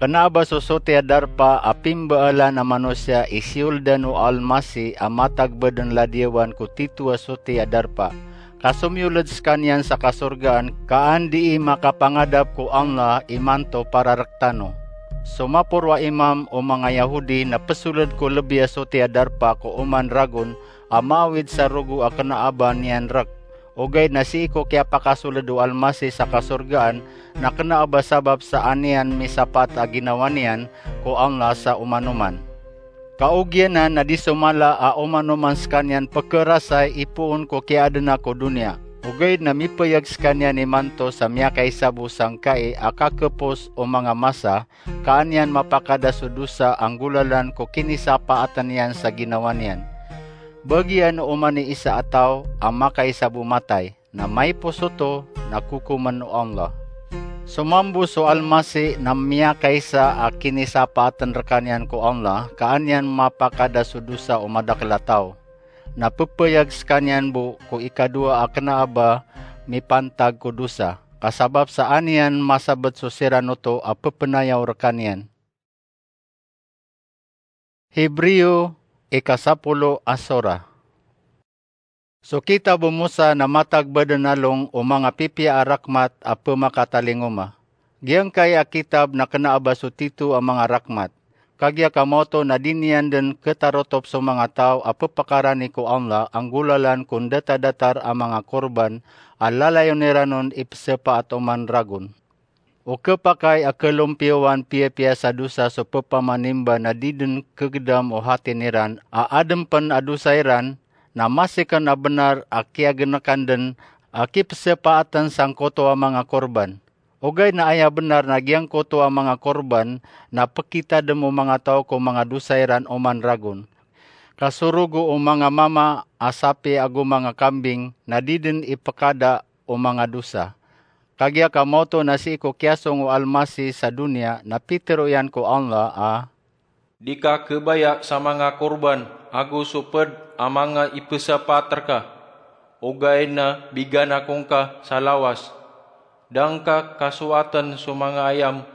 Kna a ba so soti a darpa a pimbaalan a manosiya i siyoldan o Almasih a matag ba dn ladiyawan ko tito a soti a darpa. Ka somiyolad skaniyan sa kasorgaan ka an dii makapangadap ko Allah imanto para rktano. So maporo a imam o manga Yahudi na psolad ko lbi a soti a darpa ko oman ragon a maawid sa rogo a kna a ba niyan rk. Ogaid na sii ko kiyapakasolad o Almasih sa kasorgaan na kna a ba sabap sa an iyan misapaat a ginawa niyan ko Allah sa omanoman. Ka ogiyanan na di so mala a omanoman skaniyan pkharasay i poon ko kiyaadna ko doniya. Ogaid na mipayag skaniyan imanto sa miyakaisa bo sangkai a kakhapos o manga masa ka an iyan mapakada so dosa a nggolalan ko kinisapaatan iyan sa ginawa niyan. Bagian o oman i isa a taw a makaisa bo matay, na maipos oto na kokomn o Allah. So mambo so Almasih na miyakaisa a kinisapaatan rkaniyan ko Allah ka an iyan mapakada so dosa o madakl a taw. Na ppayag skaniyan bo ko ikadowa a kna a ba mipantag ko dosa. ka sabap sa an iyan masabet so siran oto a pepenayaw rekaniyan. Hebreo, ika sapolo a sora. So kitab o Mosa na matag baden along o manga pipiya a rakmat a pemakatalingoma. Giyangkai a kitab na kena a ba so tito a manga rakmat. Kagiya ka maoto na di niyan den ketarotop so manga taw a pepakarani ko Allah a nggolalan ko ndata-datar a manga korban a lalayon iran on ipesepaat oman ragon. O kepakay a kelompiyowan piyapiya sa dosa so pepamanimba na di den kegedam o hati niran a adem pen a dosa iran, na masiken a benar a kiyagenekan den a kipesepaaten sangkoto a manga korban. Ogaid na aya benar na giyangkoto a manga korban na pekitadem o manga taw ko manga dosa iran oman ragon. Ka so rogo o manga mama a sapi ago manga kambing na di den ipekada o manga dosa. Kagiya ka maoto na sii ko kiyasong o Almasih sa doniya na pitero iyan ko Allah a, "Di ka kebaya sa manga korban ago so ped a manga ipesepaat reka. Ogaid na bigan ako ngka sa lawas. Da ngka kasoaten so manga ayam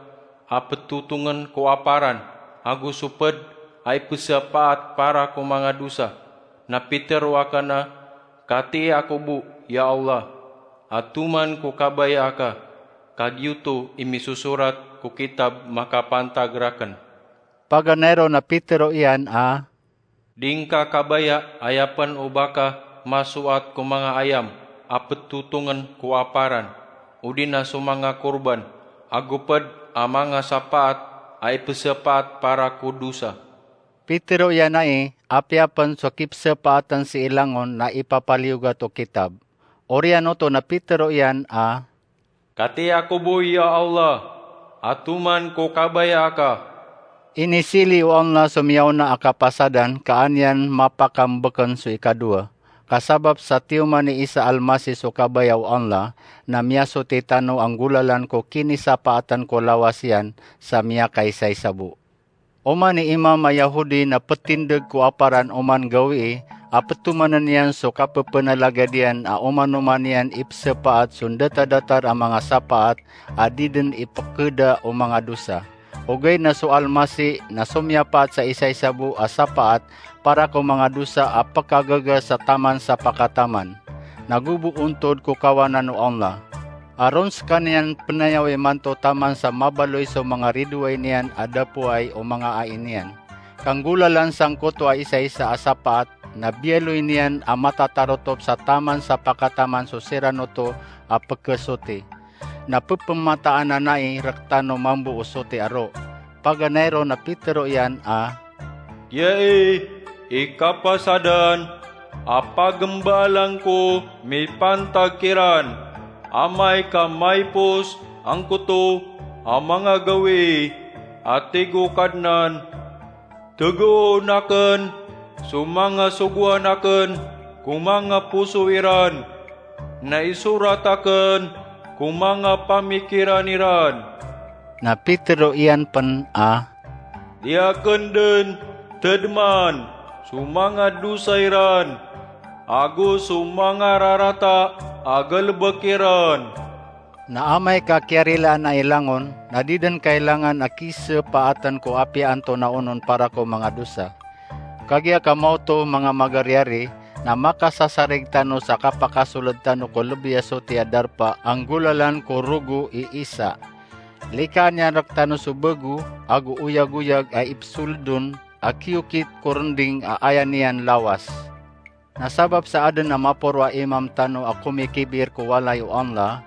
a petotongen ko aparan ago so ped a ipesepaat para ko manga dosa." Na pitero aken a, "Katii ako bo, ya Allah, a toman ko kabaya aka, ka giyoto i misosorat ko kitab makapantag raken." Paganay ron na pitero iyan a, "Di ngka kabaya aya pen o ba ka masoat ko manga ayam a petotongen ko aparan, odi na so manga korban, ago ped a manga sapaat a ipesepaat para ko dosa." Pitero iyan ai, apiya pen so kipesepaaten sii langon na ipapaliyogat o kitab. Oriyan oto na pitero iyan a, "Katii ako bo, ya Allah, a toman ko kabaya aka." Inisili o Allah so miyaona a kapasadan ka an iyan mapakambeken so ikadowa. Ka sabap sa tiyoman i Isa Almasih so kabaya o Allah, na miyasoti tano a nggolalan ko kinisapaatan ko lawas iyan sa miyakaisaisa bo. Oman i imam a Yahudi na petindeg ko aparan oman gawii a petomanen iyan so kapepenalagad iyan a oman-oman iyan ipesepaat so ndata-datar a manga sapaat a di den ipekeda o manga dosa. Ogaid na so Almasih na somiyapaat sa isaisa bo a sapaat para ko manga dosa a pekagaga sa taman sa pakataman. Na go bo ontod ko kawanan o Allah. Aron sekaniyan penayawi manto taman sa mabaloy so manga ridoay niyan a dapoay o manga ai niyan. Ka nggolalan sangkoto a isaisa a sapaat na biyaloy niyan a matatarotop sa taman sa pakataman so siran oto a pekesoti. Na pepemataan anai rektano mambo o soti a ro. Paganay ron na pitero iyan a, "Giyai i kapasadan a pagembaalan ko mipantag kiran, amay ka maipos angkoto a manga gawii a tig o Kadnan. Tegoon aken so manga sogoan aken ko manga poso iran, na isorat aken ko manga pamikiran iran." Na pitero iyan pen a, "Di aken den tedeman so manga dosa iran ago so manga rarata a galebek iran." Na amay ka kiyarilaan ai langon, na di den kailangan a kisepaaten ko apiya antonaa onon para ko manga dosa. Kagiya ka maoto, manga magariyari, na makasasarig tano sa kapakasoled tano ko lebi a soti a darpa a nggolalan ko rogo i Isa. Likaan iyan rektano so bago ago oyagoyag a ipsoldon a kiyokit ko rending a aya niyan lawas. Na sabap sa aden a maporo a imam tano a komikibir ko walay o Allah,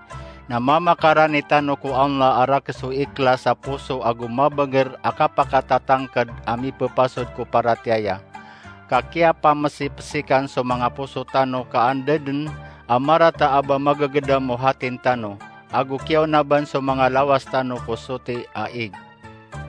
na mamakarani tano ko Allah a rakeso iklas a poso ago mabeger a kapakatatangked a mipepasod ko paratiyaya. Ka kiyapamesipesikan so manga poso tano ka anda den a marata a ba magegedam o hatin tano, ago kiyaonaban so manga lawas tano ko soti a ig.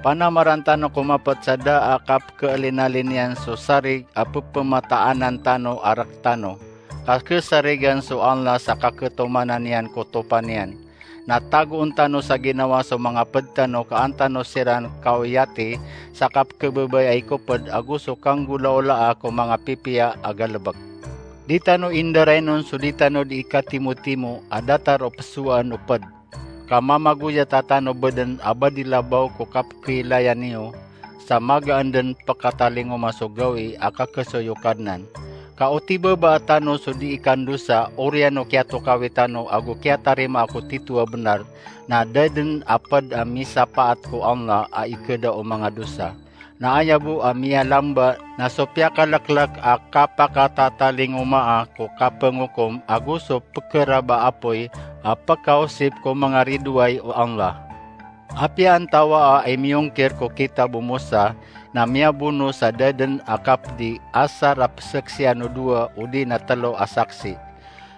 Panamaran tano ko mapet sa da a kapkeelinalin iyan so sarig a pepemataanan tano a rektano, ka kesarigan so Allah sa kaketomanan iyan ko topa niyan. Na tagoon tano sa ginawa so manga ped tano ka an tano siran kaoyati sa kapkebebay a ikoped ago so kanggolaolaa ko manga pipiya a galebek. Di tano indarainon so di tano di ikatimotimo a datar o pesoan o ped. ka mamagoyat a tano beden a ba di labaw ko kapkhilayan iyo, sa magaan den pekatalingoma so gawii a kakesoy o Kadnan. Ka o tibabaa tano so di ikandosa, oriyan o kiyatokawi tano ago kiyatarimaa ko tito a benar, na da den a ped a misapaat ko Allah a ikeda o manga dosa. Na aya bo a miyalamba na so piyakaleklek a kapakatatalingomaa ko kapengokom ago so pekeraba a apoy a pekaosip ko manga ridoay o Allah. Apiya antawaa i miyongkir ko kitab o Mosa na miyabono sa da den a kapedi asar a pesaksian o dowa odi na telo a saksi.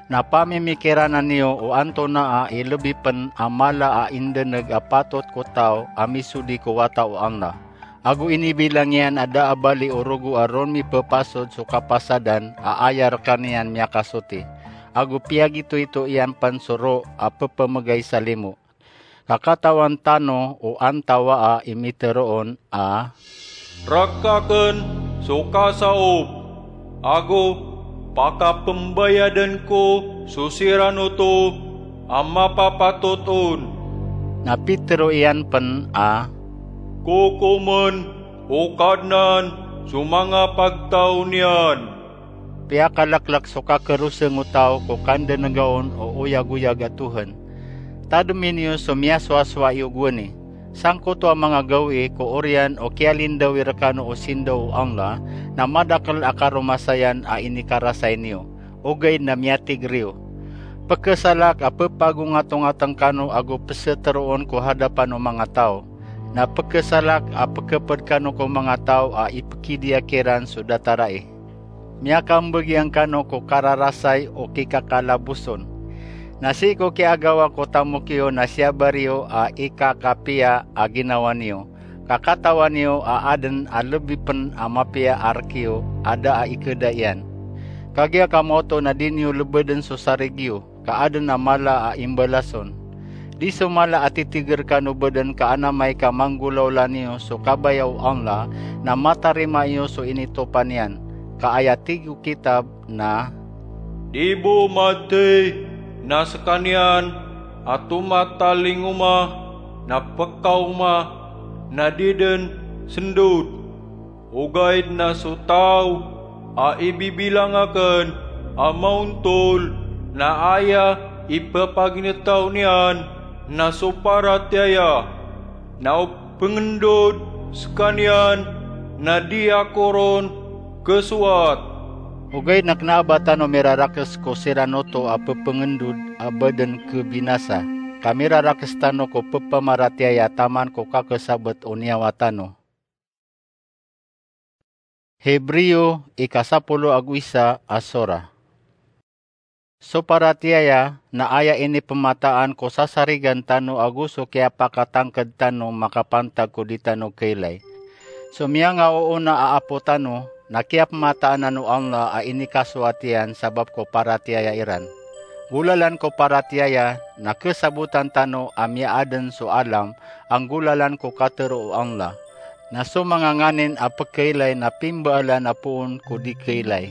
Na pamimikirana niyo o antonaa i lebi pen a mala a indeneg a patot ko taw a misodi ko wata o Allah. Ago inibilang iyan a da a bali o rogo a ron mipepasod so kapasadan a aya rekaniyan miyakasoti. Ago piyagitoito iyan pen so ro a pepemegay sa limo. Ka katawan tano o antawaa i mitero on a, "Rekaken so kasaop, ago pakapembayaden ko so siran oto a mapapatot on." Na pitero iyan pen a, "Kokomen o Kadnan so manga pagtaw niyan." Piyakaleklek so kakeroseng o taw ko kandenega on o oyagoyag a tohen. Tademi niyo so miyasowasowa iyo gowani. Sangkoto a manga gawii ko oriyan o kiyalindawi rekano o sindaw o Allah, na madakel a karomasayan a inikarasay niyo, ogaid na miyatiger iyo. Pekesalak a pepagongatongateng kano ago peseteroon ko hadapan o manga taw. Na pekesalak a pekeped kano ko manga taw a ipekidiya kiran so datarai. Miyakambegiyang kano ko kararasay o kikakalaboson. Na sii ko kiyagawa ko tamok iyo na siyabar iyo a ikakapiya a ginawa niyo, ka katawan iyo a aden a lebi pen a mapiya a rek iyo a da a ikeda iyan. Kagiya ka maoto na di niyo lebeden so sarig iyo, ka aden a mala a imbalason. Di so mala a titiger kano beden ka anamay ka manggolawla niyo so kabaya o Allah, na matarima iyo so initopa niyan. Ka aya tig o kitab na, "Di bo matey na sekaniyan a tomatalingoma na pekaoma na di den sendod." Ogaid na so taw a ibibilang aken a maontol na aya ipepaginetaw niyan na so paratiyaya, na o pengendod sekaniyan na di ako ron kesowat. Ogaid na kena a ba tano mirarakes ko siran oto a pepengendod a ba den kebinasa, ka mirarakes tano ko pepamaratiyaya taman ko kakesabet o niyawa tano. Hebreo, ikasapolo ago isa a sora. So paratiyaya na aya inipemataan ko sasarigan tano ago so kiyapakatangked tano makapantag ko di tano keylay. So miyangaoona a apo tano na kiyapemataan anan o Allah a inikasoat iyan sabap ko paratiyaya iran. Golalan ko paratiyaya na kesabotan tano a miyaaden so alam a nggolalan ko katero o Allah. Na so manga nganin a pekeylay na pimbaalan a poon ko di keylay.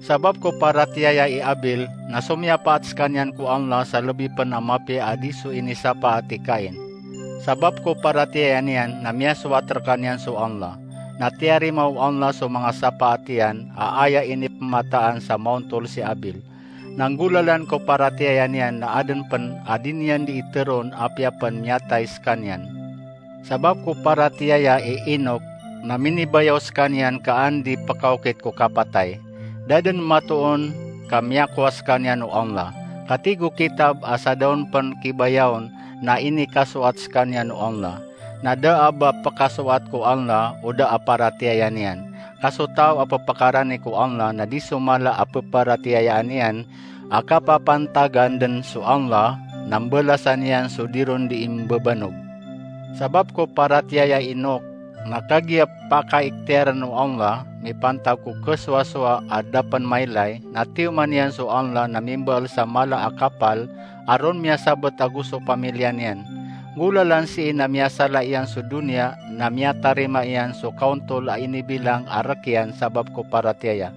Sabap ko paratiyaya i Abel, na somiyapaat sekaniyan ko Allah sa lebi pen a mapiya a di so inisapaat i Cain. Sabap ko paratiyaya niyan na miyasowat rekaniyan so Allah. Na tiyarima o Allah so manga sapaat iyan a aya inipemataan sa maontol si Abel. Na nggolalan ko paratiyaya niyan na aden pen a di niyan di iteroon apiya pen miyatay sekaniyan. Sabap ko paratiyaya i Enoch na minibayaw sekaniyan ka an di pekaokit ko kapatay. Da den matoon ka miyakowa sekaniyan o Allah. Ka tig o kitab a sa da on pen kibayawn na inikasoat sekaniyan o Allah. Na da a ba pekasoat ko Allah o da a paratiyaya niyan. Ka so taw a pepakarani ko Allah na di so mala a peparatiyayaan iyan a kapapantagan den so Allah na mbalasan iyan so di ron di imbabanog. Sabap ko paratiyaya i Enoch, na kagiya pakaikhtiyaren o Allah mipantag ko kesowasowa a da pen mailay, na tiyoman iyan so Allah na mimbaal sa mala a kapal a ron miyasabet ago so pamiliya niyan. Nggolalan sii na miyasala iyan so doniya na miyatarima iyan so kaontol a inibilang a rek iyan sabap ko paratiyaya.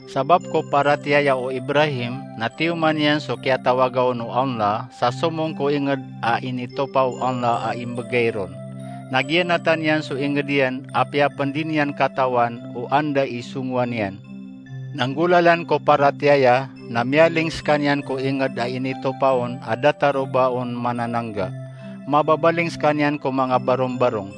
Sabap ko paratiyaya o Ibrahim, na tiyoman iyan so kiyatawagaon o Allah, sa somong ko inged a initopa o Allah a imbegay ron. Na giyanatan iyan so inged iyan, apiya pen di niyan katawan o anda i songowan iyan. Na nggolalan ko paratiyaya, na miyaling sekaniyan ko inged a initopa on a datar o ba on mananangga. Mababaling sekaniyan ko manga barongbarong.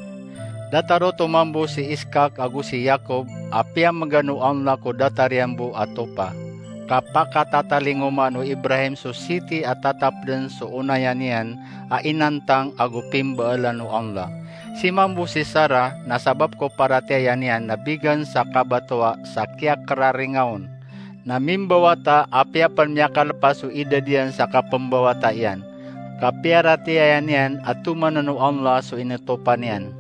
Datar oto mambo si Iskak ago si Yakob, a piyamegan o Allah ko datar iyan bo a topa. Ka pakatatalingoma o Ibrahim so siti a tatap den so onaya niyan a inantang ago pimbaelan o Allah. Si mambo si Sarah, na sabap ko paratiyaya niyan na bigan sa kabatowa sa kiyakeraringa on. Na mimbawata, apiya pen miyakalepas so idad iyan sa kapembawata iyan. Ka piyaratiyaya niyan a tomanen o Allah so initopa niyan.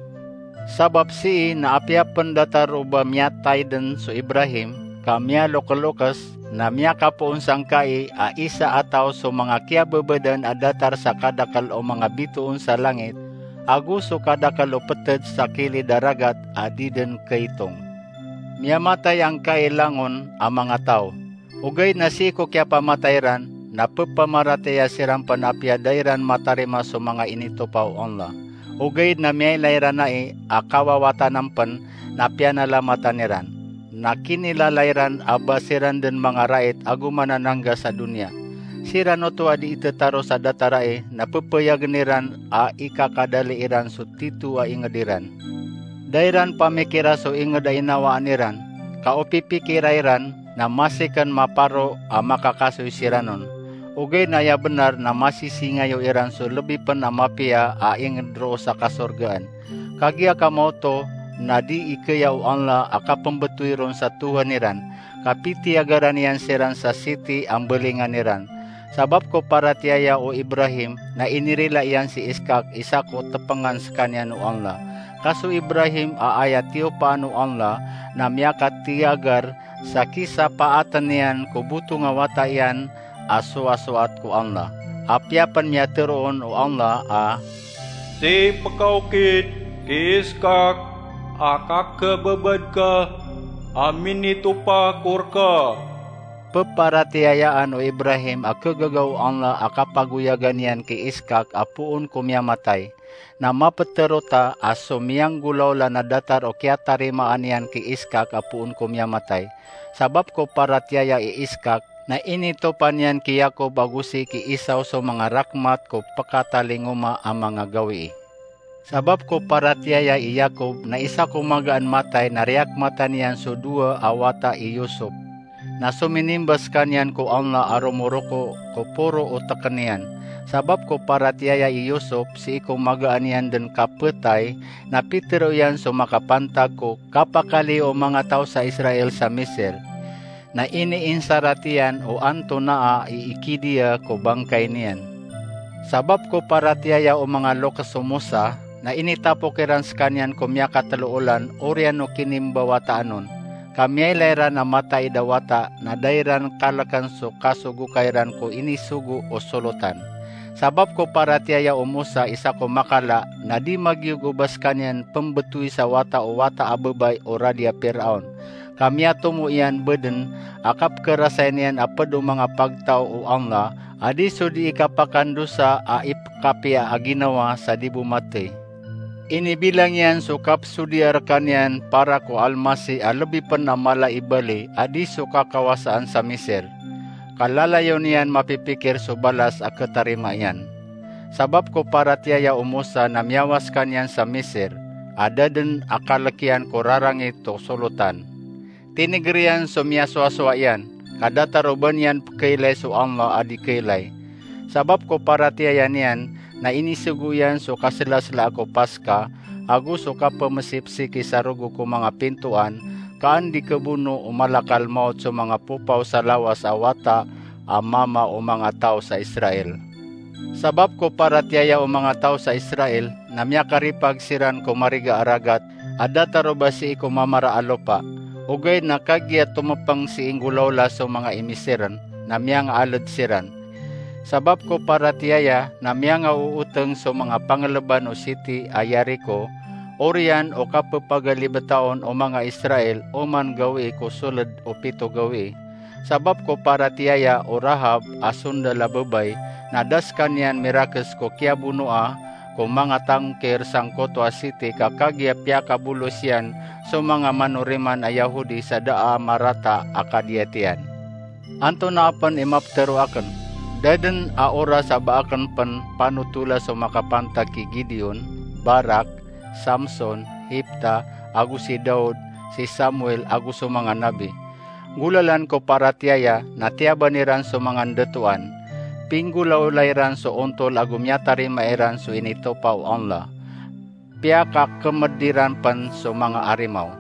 Sabap sii na apiya pen datar o ba miyatay den so Ibrahim, ka miyalokelokes, na miyakapoon sangkai a isa a taw so manga kiyabebedan a datar sa kadakel o manga bitoon sa langit, ago so kadakel o peted sa kilid a ragat a di den kaitong. Miyamatay angkai langon a manga taw. Ogaid na sii ko kiyapamatay ran, na pepamaratiyaya siran pen apiya da iran matarima so manga initopa o Allah. Ogaid na miyailay ran ai a kawawatanan pen na piyanalamatan iran. Na kinilala iran a ba siran den manga rait ago mananangga sa doniya. Siran oto a di itetaro sa datar ai na pepeyagen iran a ikakadali iran so tito a inged iran. Da iran pamikira so inged a inawaan iran, ka o pipikira iran na masi ken maparo a makakasoy siran on. Ogaid na aya benar na masisingayo iran so lebi pen a mapiya a inged roo sa kasorgaan. Kagiya kamaoto na di ikaya o Allah a kapembetowi ron sa Tohan iran, ka pitiyagaran iyan siran sa siti a mbelingan iran. Sabap ko paratiyaya o Ibrahim, na inirila iyan si Iskak, isa ko tepengan sekaniyan o Allah. Ka so Ibrahim a aya tiyopaan o Allah, na miyakatiyagar sa kisapaaten iyan ko botong a wata iyan a sowasoat ko Allah. Apiya pen miyatero on o Allah a, "Sii pekaokit ki Iskak a kakebebad ka a minitopa ko reka." Peparatiyayaan o Ibrahim a kegaga o Allah a kapagoyagan iyan ki Iskak a poon ko miyamatay. Na mapetero ta a so miyanggolawla na datar o kiyatarimaan iyan ki Iskak a poon ko miyamatay. Sabap ko paratiyaya i Iskak, na initopa niyan ki Yakob ago sii ki Esau so manga rakmat ko pekatalingoma a manga gawii. Sabap ko paratiyaya i Yakob, na isa ko magaan matay na riyakmatan iyan so dowa a wata i Yusuf. Na sominimba sekaniyan ko Allah a romoroko ko poro o teken iyan. Sabap ko paratiyaya i Yusuf, sii ko magaan iyan den kapetay, na pitero iyan so makapantag ko kapakaliyo o manga taw sa Israel sa Misir. Na iniinsarat iyan o antonaa i ikidiya ko bangkay niyan. Sabap ko paratiyaya o manga lokes o Musa, na initapok iran sekaniyan ko miyakatelo olan oriyan o kinimbawataan on. Ka miyailay ran a mataid a wata, na da iran kaleken so kasogokay ran ko inisogo o solotan. Sabap ko paratiyaya o Musa, isa ko makala, na di magiyog o ba sekaniyan pembetowi sa wata o wata a bebay o radi a Piraon. Ka miyatomo iyan beden a kapekerasayan iyan a ped o manga pagtaw o Allah a di so di ikapakandosa a ipekapiya a ginawa sa di bo matey. Inibilang iyan so kapsodiya rekaniyan para ko Almasih a lebi pen a mala i bali a di so kakawasaan sa Misir. Ka lalayon iyan mapipikir so balas a ketarima iyan. Sabap ko paratiyaya o Musa na miyawa sekaniyan sa Misir, a da den a kalek iyan ko rarangit o solotan. Tiniger iyan so miyasowasowa iyan, ka datar o ba niyan pekeilay so Allah a di keilay. Sabap ko paratiyaya niyan, na inisogo iyan so kaselasela ko Paska, ago so kapemesipsiki sa rogo ko manga pintoan, ka an di kebono o malakal mawt so manga popaw sa lawas a wata a mama o manga taw sa Israel. Sabap ko paratiyaya o manga taw sa Israel, na miyakaripag siran ko mariga a ragat a datar o ba sii ko mamara a lopa. Ogaid na kagiya tomepeng sii nggolawla so manga i Misir, na miyangaaled siran. Sabap ko paratiyaya, na miyangaooteng so manga pangeleban o siti a Yariko, Oriyan o kapepagalibetaon o manga Israel oman gawii ko soled o pito gawii. Sabap ko paratiyaya o Rahab a sondal a babay, na da sekaniyan mirakes ko kiyabonoa ko manga tangkir sangkoto a siti ka kagiya piyakabolos iyan so manga manoriman a Yahudi sa da a marata a kadiyat iyan. Antonaa pen i mapetero aken? Da den a oras a ba aken pen panotola so makapantag ki Gideon, Barak, Samson, Hipta, ago si Daud, si Samuel, ago so manga nabi. Golalan ko paratiyaya na tiyaban iran so manga ndatoan. Pinggolawla iran so ontol ago miyatarima iran so initopa o Allah. Piyakakemed iran pen so manga arimaw.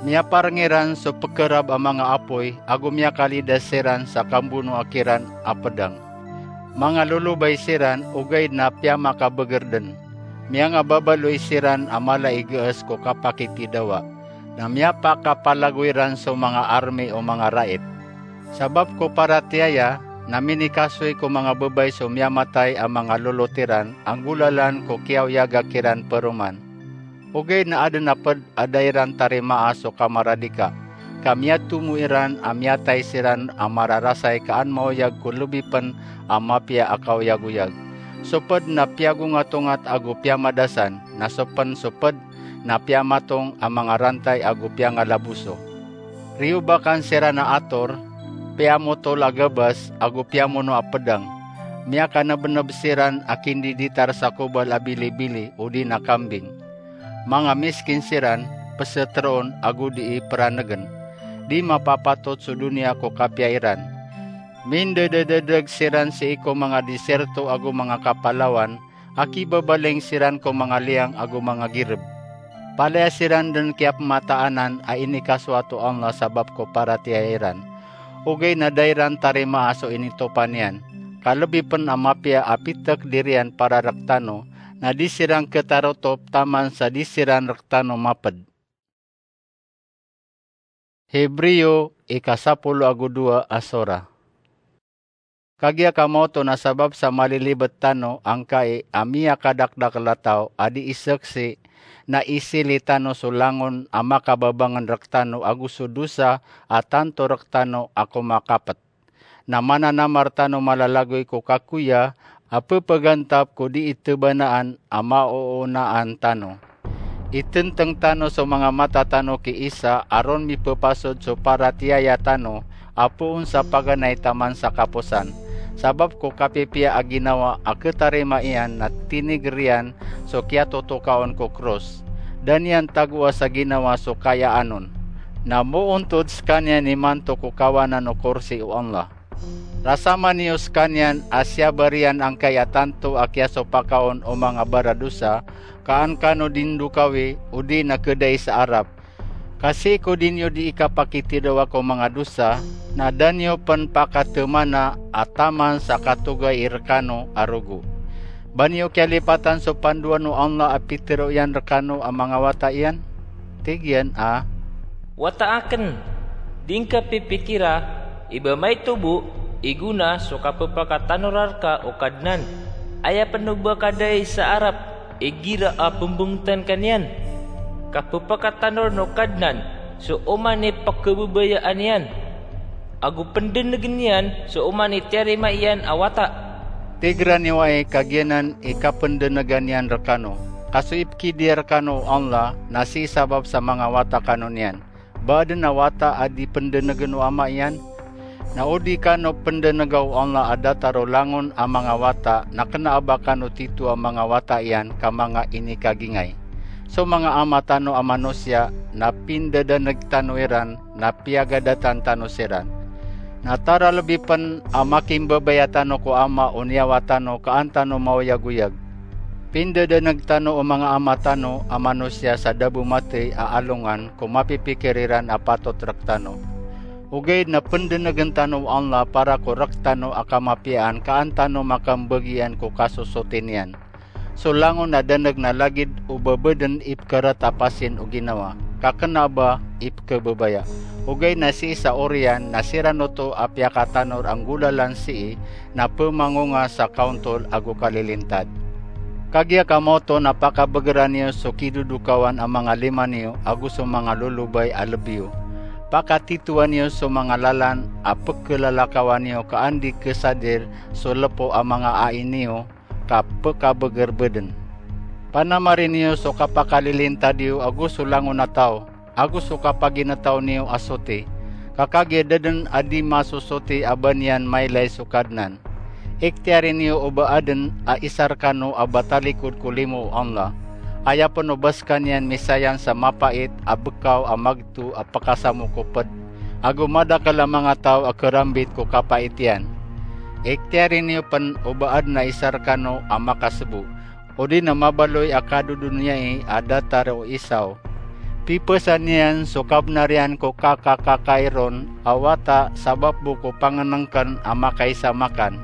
Miyapareng iran so pekerab a manga apoy ago miyakalidas siran sa kambonoa kiran a pedang. Manga lolobay siran ogaid na piyamakabeger den. Miyangababaloy siran a mala i gees ko kapakitidawa, na miyapakapalagoy ran so manga army o manga rait. Sabap ko paratiyaya na minikasoy ko manga babay so miyamatay a manga lolot iran a golalan ko kiyaoyaga kiran peroman. Ogaid na aden a ped a da iran tarimaa so kamaradika, ka miyatomo iran a miyatay siran a mararasay ka an maoyag ko lebi pen a mapiya a kaoyagoyag. So ped na piyagongatongat ago piyamadasan, na so pen so ped na piyamatong a manga rantay ago piyangalaboso. Riyobakan siran a ator, piyamotol a gabas ago piyamono a pedang. Miyakanebneb siran a kindiditar sa kobal a bilibili odi na kambing. Manga miskin siran, peseteroon ago dii peranegen. Di mapapatot so doniya ko kapiya iran. Mindedededeg siran sii ko manga disyerto ago manga kapalawan, a kibabaling siran ko manga liyang ago manga gireb. Palaya siran den kiyapmataanan a inikasoat o Allah sabap ko paratiyaya iran. Ogaid na da iran tarimaa so initopa niyan. Ka lebi pen a mapiya a pitek diriyan para rektano, na di siran ketarotop taman sa di siran rektano maped. Hebreo ika sapolo ago dowa a sora. Kagiya kamaoto na sabap sa malilibet tano angkai a miyakadakdakel a taw a di iseksi, na isili tano so langon a makababangen rektano ago so dosa a tanto rektano a komakapet. Na mananamar tano malalagoy ko kakoya a pepegantap ko di itebanaan a maoonaan tano. Itenteng tano so manga mata tano ki isa a ron mipepasod so paratiyaya tano a poon sa paganay taman sa kaposan. Sabap ko kapipiya a ginawa a ketarima iyan na tiniger iyan so kiyatotokaon ko kros. Da niyan tagoa sa ginawa so kayaan on. Na moontod sekaniyan imanto ko kawanan o korsi o Allah. Rasaman iyo sekaniyan a siyabar iyan angkai a tanto a kiyasopakaon o manga baradosa, ka an kano dindokawi odi na kedai sa arap. Ka sii ko di niyo di ikapakitidawa ko manga dosa, na da niyo pen pakatemana a taman sa katogay i rekano a rogo. Ba niyo kiyalipatan so pandoan o Allah a pitero iyan rekano a manga wata iyan? Tig iyan a, Wata aken, di ngka pipikira i ba maito bo i gona so kapepakatanora reka o Kadnan. Aya pen o ba kadai sa arap igira a pembengetan ka niyan. Kapepakatanoren o Kadnan so oman i pekebebayaan iyan, ago pendenegen iyan so oman i tiyarima iyan a wata. Tigeran iyo ai kagiyanan i kapendenegan iyan rekano, ka so ipekidi rekano o Allah na sii sabap sa manga wata kano niyan. Ba aden a wata a di pendenegen o ama iyan? Na o di kano pendenega o Allah a datar o langon a manga wata, na kena a ba kano tito a manga wata iyan ka manga inikagingay. So manga ama tano a manosiya na pindadaneg tano iran, na piyagadatan tano siran. Na tara lebi pen a makimbabaya tano ko ama o niyawa tano ka an tano maoyagoyag. Pindadaneg tano o manga ama tano a manosiya sa da bo matey a alongan ko mapipikir iran a patot rektano. Ogaid na pendenegen tano o Allah para ko rektano a kamapiyaan ka an tano makambagian ko kasosoti niyan. So langon a daneg na lagid o ba baden i pekeret a pasin o ginawa, ka kena a ba i pekebabaya. Ogaid na sii sa oriyan na siran oto a piyakatanor a nggolalan sii na pemangonga sa kaontol ago kalilintad. Kagiya kamaoto na pakabegera niyo so kidodokawan a manga lima niyo ago so manga lolobay a lebi iyo. Pakatitowa niyo so manga lalan a pekelalakawan iyo ka andi kesadir so lepo a manga ai niyo ka pekabeger beden. Panamari niyo so kapakalilintad iyo ago so langon a taw, ago so kapaginetaw niyo a soti, ka kagiya da den a di masosoti a ba niyan mailay so Kadnan. Ikhtiyari niyo o ba aden a isa rekano a ba talikod ko limo o Allah. Aya pen o ba sekaniyan misayang sa mapait a bekaw a magto a pekasamokoped, ago madakel a manga taw a kerambit ko kapait iyan. Ikhtiyari niyo pen o ba aden a isa rekano a makasebo, odi na mabaloy a kadodoniyai a datar o isa o. Pipesan iyan so kabenar iyan ko kakakakairon a wata sabap bo ko pangenengken a makaisa makan.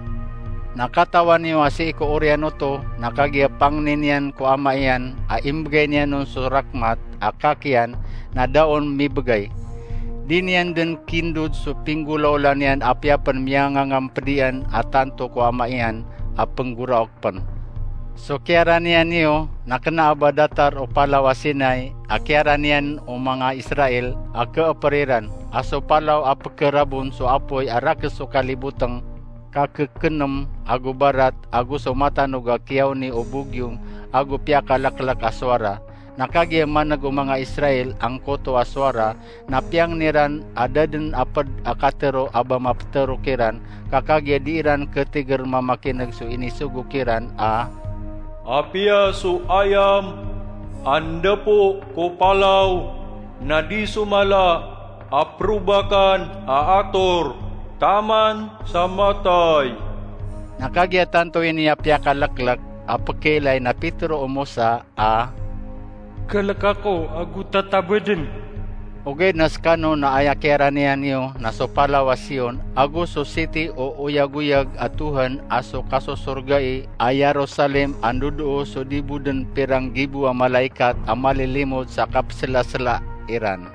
Na katawan iyo a sii ko oriyan oto na kagiya pangnin iyan ko ama iyan a imbegay niyan on so rakhmat a kakiyan na da on mibegay. Di niyan den kindod so pinggolaola niyan apiya pen miyangangamped iyan a tanto ko ama iyan a penggoraok pen. So kiyaraniyan iyo na kena a ba datar o palaw a Sinai a kiyaraniyan o manga Israel a keeper iran, a so palaw a pekerabon so apoy a rakes so kaliboteng ka kekenem ago barat ago so matanog a kiyaoni o bogyong ago piyakaleklek a sowara. Na kagiya maneg o manga Israel angkoto a sowara, na piyangni ran a da den a ped a katero a ba mapetero kiran, ka kagiya di iran ketiger mamakineg so inisogo kiran a, apiya so ayam a ndapo ko palaw na di so mala a perobakan a ator taman sa matay. Na kagiya tanto ini a piyakaleklek a pekiilay na pitero o Mosa a, kelek ako ago tatabeden. Ogaid na sekano na aya kiyaraniyan iyo na so palaw a Sion, ago so siti o oyagoyag a Tohan a so kasosorgai a Yerusalem a ndodoo so di bo den pirang gibo a malaikat a malilimod sa kapeselasela iran.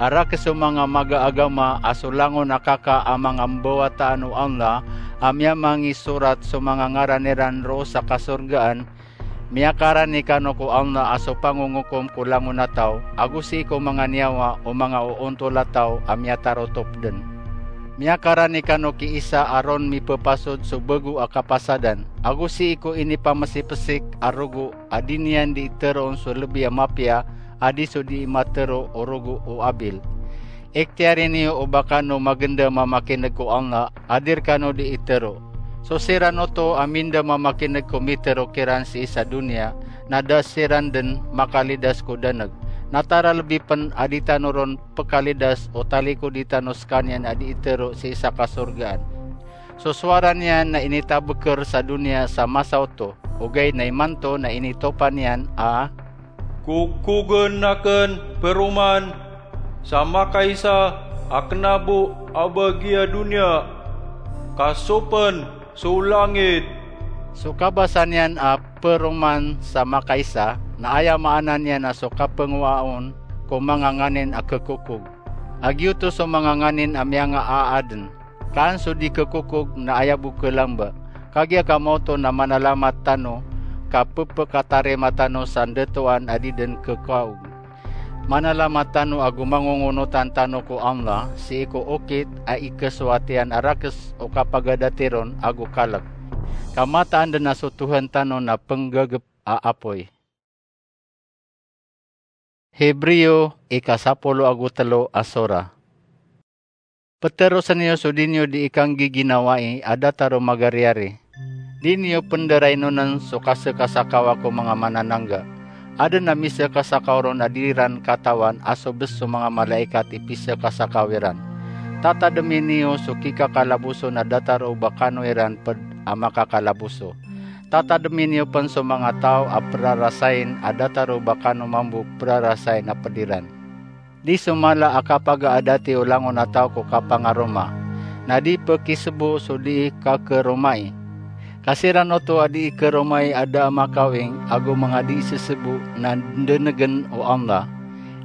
A rakes o manga magaagama a so langon a kaka a manga mbawataan o Allah a miyamangisorat so manga ngaran iran roo sa kasorgaan, miyakarani kano ko Allah a so pangongokom ko langon a taw, ago sii ko manga niyawa o manga oontol a taw a miyatarotop den. Miyakarani kano ki Isa a ron mipepasod so bego a kapasadan, ago sii ko inipamesipesik a rogo a di niyan di iteroon so lebi a mapiya a di so di matero o rogo o Abil. Ikhtiyari niyo o ba kano magenda mamakineg ko Allah a di rekano di itero. So siran oto a minda mamakineg ko mitero kiran sii sa doniya, na da siran den makalidas ko daneg. Na taralbi pen a di tano ron pekalidas o talikodi tano sekaniyan a di itero sii sa kasorgaan. So sowara niyan na initabeker sa doniya sa masa oto, ogaid na imanto na initopa niyan a, kokogen aken peroman sa makaisa a kena bo a bagiya doniya, ka so pen so langit. So kabasa niyan a peroman sa makaisa na aya maana niyan na so kapengowaa on ko manga nganin a kekokog. A giyoto so manga nganin a miyangaaden. Kaan so di kekokog na aya bo kelamba. Kagiya kamaoto na manalamat tano ka pepekatarima tano sa ndatoan a di den kekaog. Manalamat tano ago mangongonotan tano ko Allah sii ko okit a ikesowat iyan a rakes o kapagadati ron ago kalek. Ka mataan den a so Tohan tano na penggagep a apoy. Hebreo, ika sapolo ago telo a sora. Peterosen iyo so di niyo di ikanggiginawai a datar o magariyari. Di niyo penderaynonen so kasekasakawa ko manga mananangga. Aden a misekasakaw ron a di ran katawan a so bes so manga malaikat i pisekasakaw iran. Tatademi niyo so kikakalaboso na datar o ba kano iran ped a makakalaboso. Tatademi niyo pen so manga taw a perarasain a datar o ba kano mambo perarasain a ped iran. Di so mala a kapagaadati o langon a taw ko kapangaroma, na di pekisebo so di kakeromai. Ka siran oto a di ikeromai a da a makawing ago manga di isesebo na ndenegen o Allah.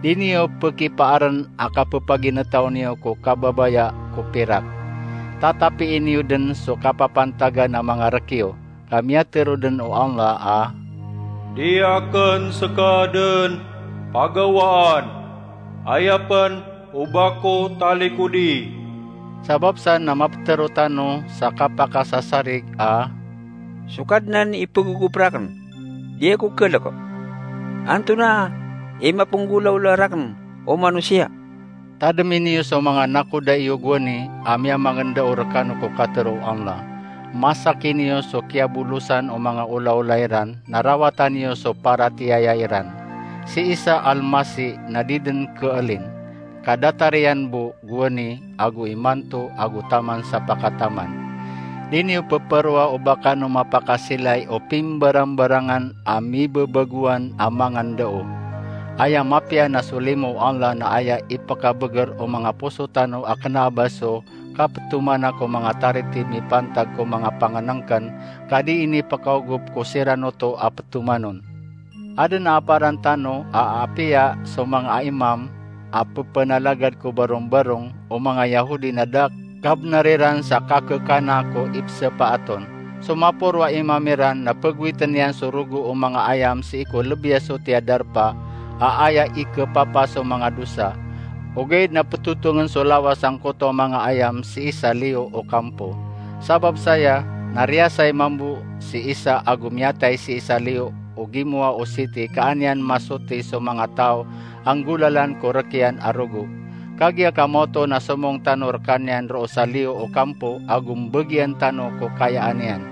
Di niyo pekipaaren a kapepaginetaw niyo ko kababaya ko pirak. Tatapii niyo den so kapapantagan a manga rekiyo, ka miyatero den o Allah a, Di akn ska dn pagawaan, aya pn o ba ko talikodi. Sabap san na maptero tano sa kapakasasarig a: So Kadnan i pegogop rakn, di ako kalk. Antonaa i mapenggolawla rakn o manosiya? Tademi niyo so manga nakoda iyo gowani a miyamangendao rekano ko katero o Allah. Masaki niyo so kiyabolosan o manga olaola iran, na rawata niyo so paratiyaya iran. Si Isa Almasih na di den keelin, ka datar iyan bo gowani ago imanto ago taman sa pakataman. Di niyo peperoa o ba kano mapakasilay o pimbarambarangan a mibebagowan a mangendao. Aya mapiya na so limo o Allah na aya ipekabeger o manga poso tano a kena a ba so kapetomana ko manga tariti mipantag ko manga pangenengken, ka di inipekaogop ko siran oto a petomanon. Aden a aparan tano a apiya so manga imam a pepenalagad ko barongbarong o manga Yahudi na da kabnar iran sa kakekana ko ipsepaaton. So maporo a imam iran na pegowiten iyan so rogo o manga ayam sii ko lebiya soti a darpa a aya ikepapa so manga dosa, ogaid na petotongen so lawas angkoto a manga ayam sii sa liyo o kampo. Sabap saya na riyasay mambo si Isa ago miyatay sii sa liyo o gimowa o siti, ka an iyan masoti so manga taw a nggolalan ko rek iyan a rogo. Kagiya ka maoto na somong tano rekaniyan roo sa liyo o kampo ago mbegiyan tano ko kayaan iyan.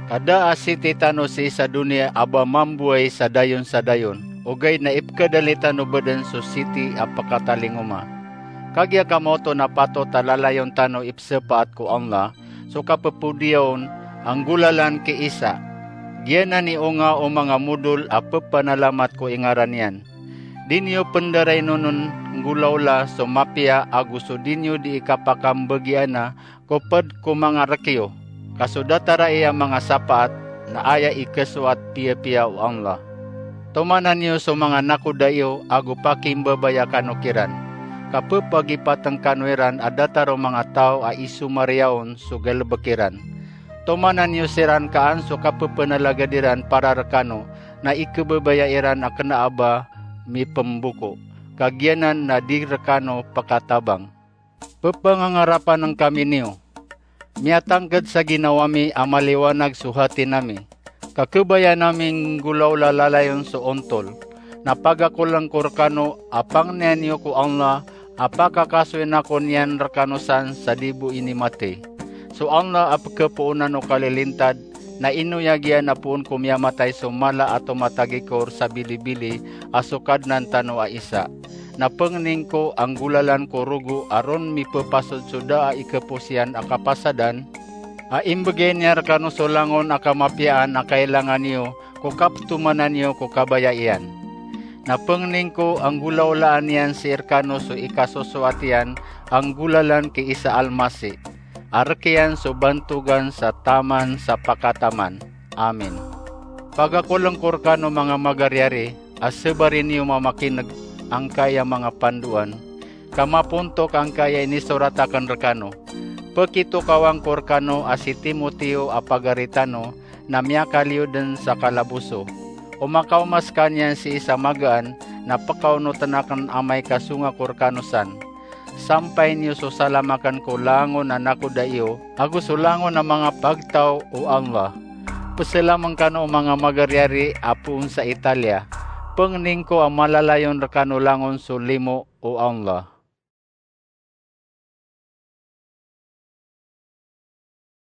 Ka da a siti tano sii sa doniya a ba mamboway sa dayon sa dayon, ogaid na ipkedali tano bo den so siti a pekatalingoma. Kagiya ka maoto na patot a lalayon tano ipsepaat ko Allah so kapepodiyaon a nggolalan ki Isa. Giyanan i onga o manga modol a pepanalamat ko ingaran iyan. Di niyo pendarainonen nggolawla so mapiya ago so di niyo di ikapakambegiana ko ped ko manga rek iyo. Ka so datar a iya manga sapaat na aya ikesoat piyapiya o Allah. Tomanan iyo so manga nakoda iyo ago pakimbabaya kano kiran, ka pepagipaten kano iran a datar o manga taw a isomariya on so galebek iran. Tomanan iyo siran ka an so kapepenalagad iran para rekano na ikebebaya iran a kena a ba mipemboko, ka giyanan na di rekano pekatabang. Pepangangarapan kami niyo. Miyatangked sa ginawa mi a maliwanag so hati nami, ka kebayaan ami nggolawla lalayon so ontol. Na pagakoleng ko rekano a pangnian iyo ko Allah a pakakasoy na ko niyan rekano san sa di bo inimati. So Allah a pekepoonan o kalilintad, na inoyag iyan a poon ko miyamatay so mala a tomatagikor sa bilibili a so Kadnan tano a Isa. Na pengning ko a nggolalan ko rogo a ron mipepasod so da a ikepos iyan a kapasadan, a imbegay niyan rekano so langon a kamapiyaan a kailangan iyo ko kapetomanan iyo ko kabaya iyan. Na pengning ko a nggolawlaan iyan sii rekano so ikasosoat iyan a nggolalan ki Isa Almasih, a rek iyan so bantogan sa taman sa pakataman. Amin. Pagakoleng ko rekano manga magariyari a sebari niyo mamakineg angkaya manga pandoan, ka mapontok angkaya inisorat aken rekano. Pekitokawan ko rekano a si Timoteo a pagari tano na miyakaliyo den sa kalaboso. O makaoma sekaniyan sii sa magaan, na pekaonoten aken amay ka songa ko rekano san. Sampay niyo so salam aken ko langon a nakoda iyo ago so langon a manga pagtaw o Allah. Peselamen kano o manga magariyari a poon sa Italia. Pengning ko a malalayon rekano langon so limo o Allah.